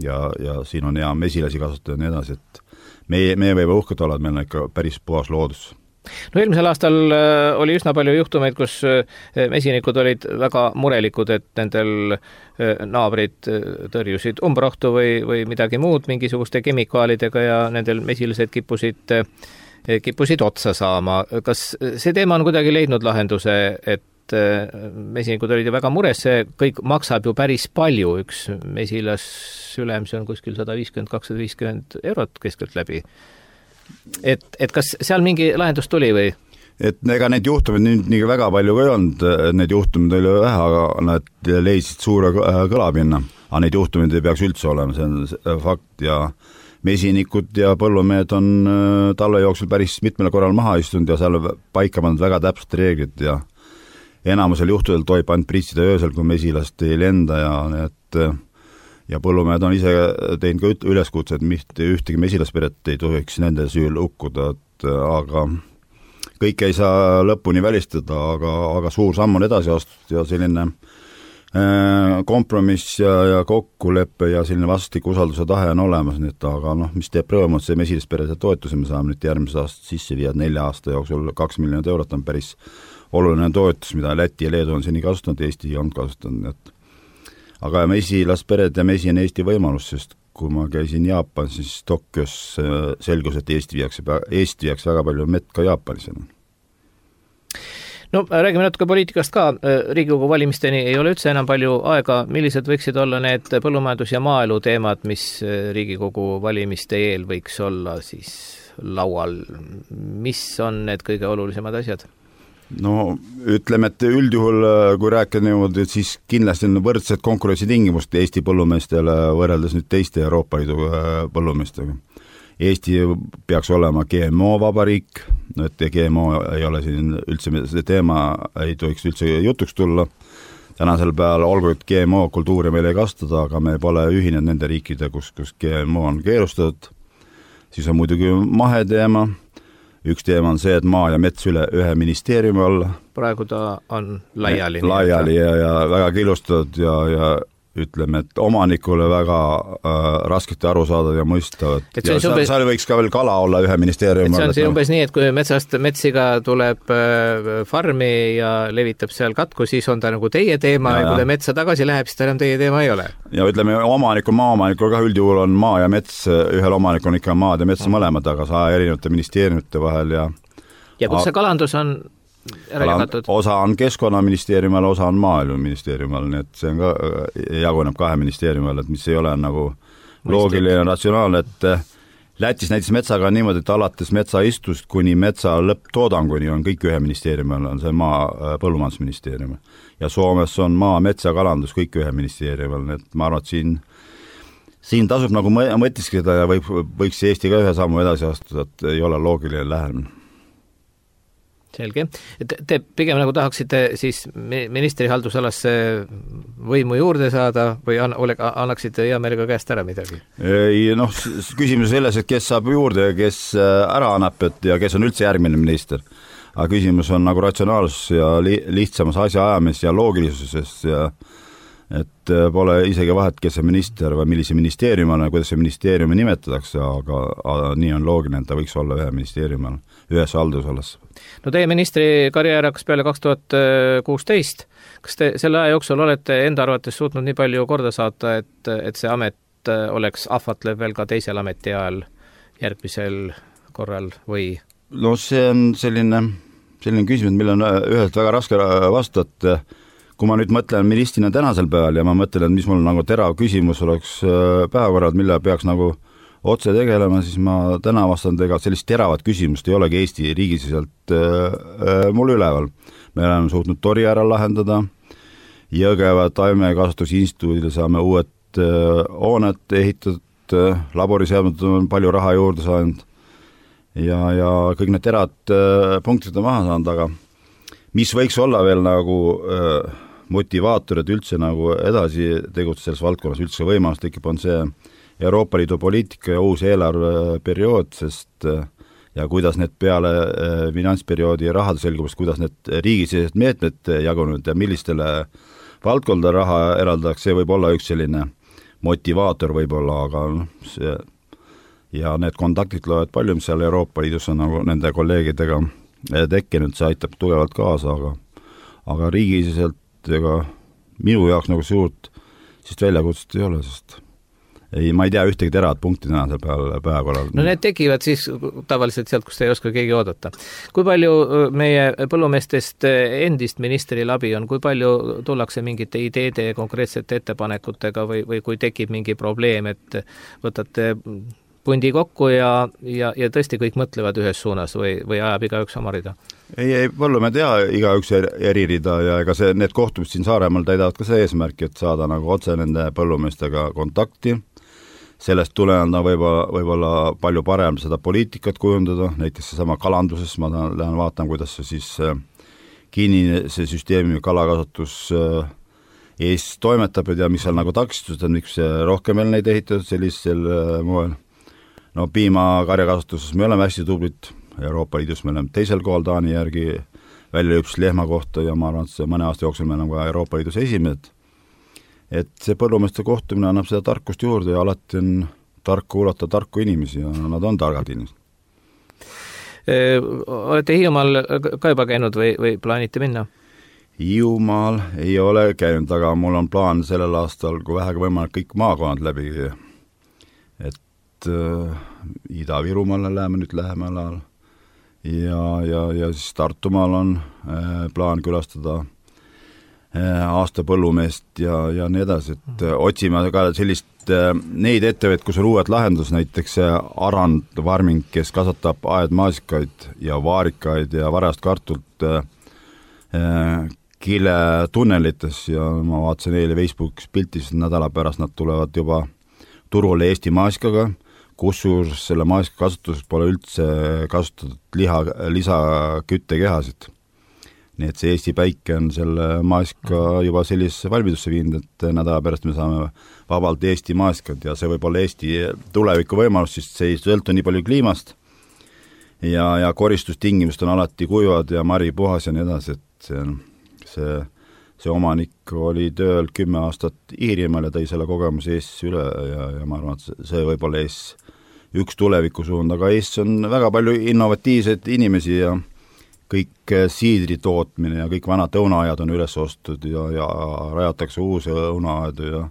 ja, ja siin on hea mesilasi kasvatada ja nii edasi, et meie, meie võime uhked olla, et meil on ikka päris puhas loodus. No eelmisel aastal oli üsna palju juhtumeid, kus mesinikud olid väga murelikud, et nendel naabrid tõrjusid umbrohtu või, või midagi muud mingisuguste kemikaalidega ja nendel mesilased kippusid, kippusid otsa saama. Kas see teema on kuidagi leidnud lahenduse, et mesinikud olid ju väga mures, see kõik maksab ju päris palju, üks mesilas sülem, see on kuskil sada viiskümmend, kakssada viiskümmend eurot keskelt läbi. Et, et kas seal mingi lahendus tuli või? Et ega need juhtumid nii, nii väga palju ka ei olnud, need juhtumid oli vähe, aga nad leidsid suure kõlapinna. Aga need juhtumid ei peaks üldse olema, see on fakt ja mesinikud ja põllumehed on talve jooksul päris mitmel korral maha istunud ja seal paika pandud väga täpselt reeglid ja enamusel juhtudel tohib ainult pritsida öösel, kui mesilast ei lenda ja need ja põllumehed on ise teinud ka üleskutse, et mitte ühtegi mesilasperet ei tohiks nende süül ukkuda, et aga kõik ei saa lõpuni välistada, aga, aga suur samm on edasi astutud ja selline kompromiss ja, ja kokkuleppe ja selline vastastikku usalduse tahe on olemas, nii et aga noh, mis teeb rõõmu, et see mesilasperede toetuse me saame nüüd järgmise aasta sisse viia, nelja aasta jooksul kaks miljonit eurot on päris oluline toetus, mida Läti ja Leedu on seni kasutanud, Eesti on kasutanud. Et aga mesilaspered ja mesi on Eesti võimalus, sest kui ma käisin Jaapan, siis Tokyos selgus, et Eesti viiakse, Eesti viiakse väga palju mett ka Jaapanis. No räägime natuke poliitikast ka. Riigikogu valimisteni ei ole üldse enam palju aega. Millised võiksid olla need põllumajandus- ja maaelu teemad, mis Riigikogu valimiste eel võiks olla siis laual? Mis on need kõige olulisemad asjad? No ütleme, et üldjuhul, kui rääkida niimoodi, et siis kindlasti on võrdsed konkurentsitingimust Eesti põllumeestele võrreldes nüüd teiste Euroopa Liidu põllumeestega. Eesti peaks olema G M O-vabariik, et G M O ei ole siin üldse, see teema ei tohiks üldse jutuks tulla. Tänasel päeval olgu, et G M O-kultuuri meil ei kastada, aga me pole ühinenud nende riikide, kus, kus G M O on keelustatud. Siis on muidugi maheteema. Üks teema on see, et maa ja mets üle ühe ministeeriumi alla. Praegu ta on laiali. Laiali ja, ja väga killustatud ja, ja ütleme, et omanikule väga äh, raskete aru saada ja mõista. Ja seal, umbes, seal võiks ka veel kala olla ühe ministeeriumi alla. See on umbes nii, et kui metsast metsiga tuleb äh, farmi ja levitab seal katku, siis on ta nagu teie teema ja, ja kui ta metsa tagasi läheb, siis ta enam teie teema ei ole. Ja ütleme, omanikul, maaomanikul ka üldjuhul on maa ja mets, ühel omanikul on ikka maad ja mets mm. mõlemad, aga saa erinevate ministeeriumite vahel ja ja kus see kalandus on osa on Keskkonnaministeeriumi all, osa on Maaeluministeeriumi all, nii et see on ka, jaguneb kahe ministeeriumi all, et mis ei ole nagu loogiline ja ratsionaalne, et Lätis näiteks metsaga on niimoodi, et alates metsaistust kuni metsa lõpptoodanguni on kõik ühe ministeeriumi all, on see maa põllumajandusministeeriumi ja Soomes on maa, metsa, kalandus kõik ühe ministeeriumi all, nii et ma arvan, et siin siin tasub nagu mõtiskeda ja võib, võiks Eesti ka ühe sammu edasi astuda, et ei ole loogiline lähenemine. Selge. Te, te pigem nagu tahaksite siis ministri haldusalasse võimu juurde saada või an, ole, annaksite hea meelega käest ära midagi? Ei, noh, küsimus selles, et kes saab juurde ja kes ära annab et, ja kes on üldse järgmine minister. Aga küsimus on nagu ratsionaalsus ja li, lihtsamas asja ajamis ja loogilisusest ja et pole isegi vahet, kes see minister või millise ministeeriumi on, kuidas see ministeeriumi nimetatakse, aga, aga nii on loogiline, et ta võiks olla ühe ministeeriumi all, ühes haldusalas. No teie ministri karjäär hakkas peale kaks tuhat kuusteist. Kas te selle aja jooksul olete enda arvates suutnud nii palju korda saata, et, et see amet oleks ahvatlev veel ka teisel ameti ajal järgmisel korral või? No see on selline, selline küsimus, mille on ühelt väga raske vastata. Kui ma nüüd mõtlen ministrina tänasel päeval ja ma mõtlen, et mis mul nagu terav küsimus oleks päevakorrad, mille peaks nagu otse tegelema, siis ma täna vastan tega, sellist teravat küsimust ei olegi Eesti riigisiselt mul üleval. Me oleme suutnud Tori ära lahendada, Jõgeva taimekasvatusinstituudile saame uued hoonet ehitatud, laboriseadmed on palju raha juurde saanud ja, ja kõik need terad punktid on maha saanud, aga mis võiks olla veel nagu motivaatorid üldse nagu edasi tegutseda selles valdkonnas, üldse võimalus tekib, on see Euroopa Liidu poliitika ja uus eelarveperiood, sest ja kuidas need peale finantsperioodi rahade selgumist, kuidas need riigisisesed meetmed jagunud ja millistele valdkonda raha eraldatakse, see võib olla üks selline motivaator võib-olla, aga see ja need kontaktid loevad palju, mis seal Euroopa Liidus on nagu nende kolleegidega tekkinud, see aitab tugevalt kaasa, aga aga riigisiselt ega minu jaoks nagu suurt sest väljakutset ei ole, sest ei, ma ei tea ühtegi terad punkti tänasel päeval päevakorral. No need tekivad siis tavaliselt sealt, kus te ei oska keegi oodata. Kui palju meie põllumeestest endist ministril abi on, kui palju tullakse mingite ideede ja konkreetsete ettepanekutega või, või kui tekib mingi probleem, et võtate pundi kokku ja, ja, ja tõesti kõik mõtlevad ühes suunas või, või ajab igaüks oma rida? Ei, ei, põllumehed ja igaüks eri rida ja ega see, need kohtumist siin Saaremaal täidavad ka see eesmärk, et saada nagu otse nende põllumeestega kontakti. Sellest tulenevalt võib-olla, võib-olla palju parem seda poliitikat kujundada, näiteks seesama kalanduses, ma lähen vaatan, kuidas see siis kinnine see süsteemi kalakasvatus Eestis toimetab ja mis seal nagu takistused on, miks rohkem veel neid ehitatud sellisel moel. No piimakarjakasutuses me oleme hästi tublid, Euroopa Liidus me oleme teisel kohal Taani järgi välja üks lehma kohta ja ma arvan, et see mõne aasta jooksul me oleme ka Euroopa Liidus esimesed. Et see põllumeeste kohtumine annab seda tarkust juurde ja alati on tark kuulata tarku inimesi ja nad on targad inimesed. Olete Hiiumaal ka juba käinud või, või plaanite minna? Hiiumaal ei ole käinud, aga mul on plaan sellel aastal, kui vähegi võimalik kõik maakonnad läbi, et äh, Ida-Virumaale läheme nüüd lähemal ajal ja, ja, ja siis Tartumaal on äh, plaan külastada äh, aasta põllumeest ja, ja nii edasi, et äh, otsime ka sellist äh, neid ettevõtteid, kus on uued lahendus, näiteks Arand Varming, kes kasvatab aedmaasikaid ja vaarikaid ja varast kartult äh, äh, Kile tunnelites ja ma vaatasin eile Facebookis piltis, nädala pärast nad tulevad juba turule Eesti maasikaga, kusjuures selle maasika kasutuseks pole üldse kasutatud liha, lisaküttekehasid. Nii et see Eesti päike on selle maasika juba sellisesse valmidusse viinud, et nädala pärast me saame vabalt Eesti maasikad ja see võib olla Eesti tuleviku võimalus, sest see ei sõltu nii palju kliimast ja, ja koristustingimust on alati kuivad ja mari puhas ja nii edasi, et see on see, see omanik oli tööl kümme aastat Iirimaal ja tõi selle kogemuse Eestis üle ja, ja ma arvan, et see võib olla Eestis üks tulevikusuund, aga Eestis on väga palju innovatiivseid inimesi ja kõik siidri tootmine ja kõik vanad õunaajad on üles ostud ja, ja rajatakse uusi õunaajadu ja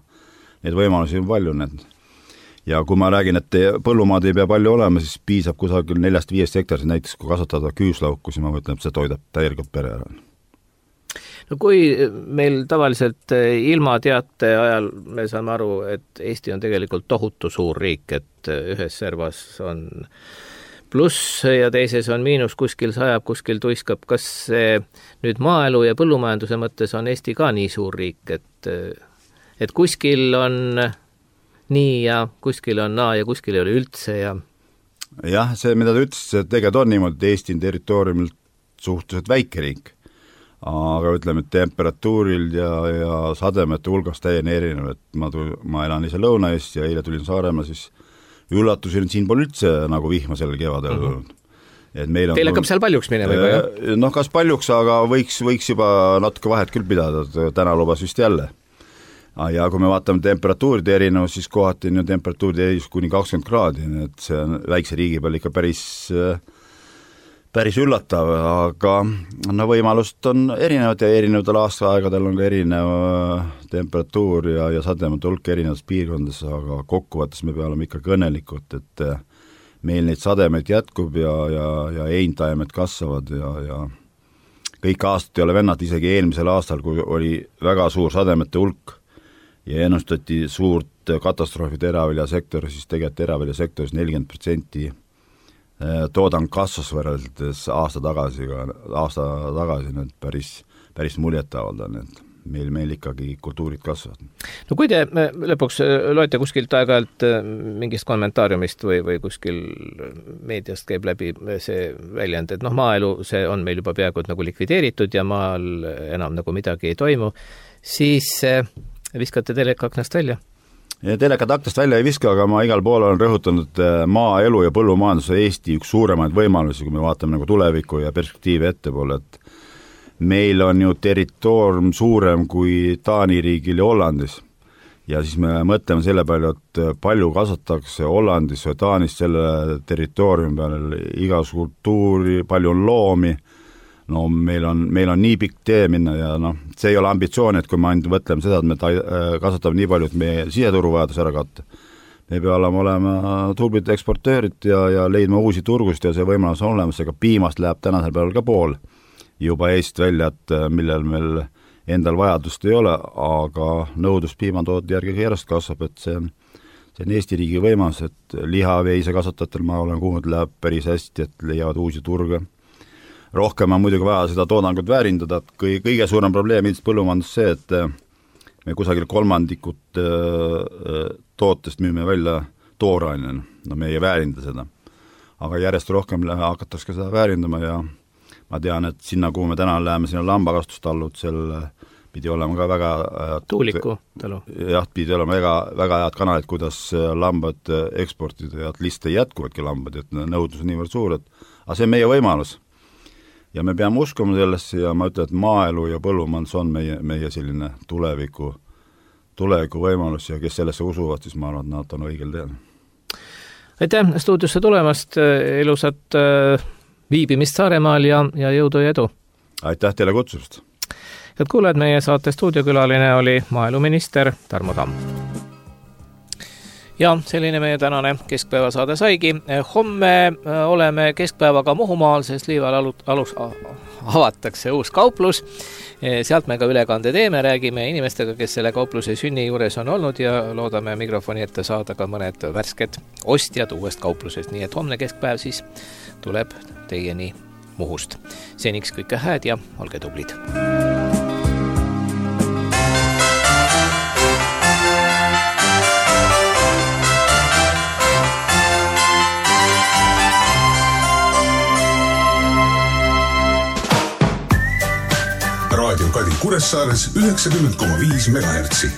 neid võimalusi on palju. Need. Ja kui ma räägin, et põllumaad ei pea palju olema, siis piisab kusagil neljast viiest hektaris, näiteks kui kasvatada küüslauku, siis ma mõtlen, et see toidab täielikult pere ära. No kui meil tavaliselt ilmateate ajal me saame aru, et Eesti on tegelikult tohutu suur riik, et ühes servas on pluss ja teises on miinus, kuskil sajab, kuskil tuiskab. Kas see nüüd maaelu ja põllumajanduse mõttes on Eesti ka nii suur riik, et, et kuskil on nii ja kuskil on naa ja kuskil ei ole üldse ja jah, see, mida ta ütles, et tegelikult on niimoodi, et Eesti on territooriumilt suhteliselt väike riik. Aga ütleme, et temperatuuril ja, ja sademete hulgas täieni erinev, et ma, tul, ma elan ise Lõuna-Eest ja eile tulin Saaremaa, siis üllatusin, et siin pole üldse nagu vihma sellel kevadel mm. -hmm. Et meil on Teil hakkab seal paljuks minema juba, jah? Noh, kas paljuks, aga võiks, võiks juba natuke vahet küll pidada, täna lubas vist jälle. ja kui me vaatame temperatuuride erinevus, siis kohati on ju temperatuuride erinevus kuni kakskümmend kraadi, nii et see on väikse riigi peal ikka päris, päris üllatav, aga no võimalust on erinevad ja erinevatel aastaaegadel on ka erinev temperatuur ja, ja sademete hulk erinevates piirkondades, aga kokkuvõttes me peame ikka kõnelikult, et meil neid sademeid jätkub ja, ja, ja eintaimed kasvavad ja, ja kõik aastat ei ole vennad, isegi eelmisel aastal, kui oli väga suur sademete hulk ja ennustati suurt katastroofi teraviljasektori, siis tegelikult teraviljasektoris nelikümmend protsenti toodang kasvas võrreldes aasta tagasi, aasta tagasi need päris, päris muljetavaldavad, et meil, meil ikkagi kultuurid kasvavad. No kui te lõpuks loete kuskilt aeg-ajalt mingist kommentaariumist või, või kuskil meediast käib läbi see väljend, et noh, maaelu, see on meil juba peaaegu nagu likvideeritud ja maal enam nagu midagi ei toimu, siis viskate teleka aknast välja? Ja telekad aknast välja ei viska, aga ma igal pool olen rõhutanud maaelu ja põllumajanduse Eesti üks suuremaid võimalusi, kui me vaatame nagu tuleviku ja perspektiivi ettepoole, et meil on ju territoorium suurem kui Taani riigil ja Hollandis ja siis me mõtleme selle palju, et palju kasvatakse Hollandis või Taanis selle territooriumi peal igas kultuuri, palju on loomi, no meil on, meil on nii pikk tee minna ja noh, see ei ole ambitsioon, et kui me ainult mõtleme seda, et me ta- kasvatame nii palju, et meie siseturuvajadus ära katta. Me peame olema tublid eksportöörid ja, ja leidma uusi turgust ja see võimalus on olemas, aga piimast läheb tänasel päeval ka pool juba Eest välja, et millel meil endal vajadust ei ole, aga nõudlus piimatoodete järgi järjest kasvab, et see on, see on Eesti riigi võimalus, et lihaveise kasvatajatel ma olen kuulnud, läheb päris hästi, et leiavad uusi turge. Rohkem on muidugi vaja seda toodangut väärindada, et kõige, kõige suurem probleem ilmselt põllumajandus see, et me kusagil kolmandikut tootest müüme välja toorainena, no me ei väärinda seda. Aga järjest rohkem hakatakse seda väärindama ja ma tean, et sinna, kuhu me täna läheme, sinna lambakastustallud, seal pidi olema ka väga tuuliku talu. Jah, pidi olema väga, väga head kanalid, kuidas lambad eksportida ja et lihtsalt ei jätkuvadki lambad, et nõudlus on niivõrd suur, et aga see on meie võimalus. Ja me peame uskuma sellesse ja ma ütlen, et maaelu ja põllumajandus on meie, meie selline tuleviku, tuleviku võimalus ja kes sellesse usuvad, siis ma arvan, et nad on õigel teel. Aitäh stuudiosse tulemast, ilusat viibimist Saaremaal ja, ja jõudu ja edu. Aitäh teile kutsust. Head kuulajad, meie saate stuudiokülaline oli maaeluminister Tarmo Tamm. Ja selline meie tänane keskpäevasaade saigi. Homme oleme keskpäevaga Muhumaal, sest Liival alus avatakse uus kauplus. Sealt me ka ülekande teeme, räägime inimestega, kes selle kaupluse sünni juures on olnud ja loodame mikrofoni ette saada ka mõned värsked ostjad uuest kauplusest. Nii et homne keskpäev siis tuleb teieni Muhust. Seniks kõike hääd ja olge tublid. Raadio Kadi Kuressaares üheksakümmend koma viis megahertsi.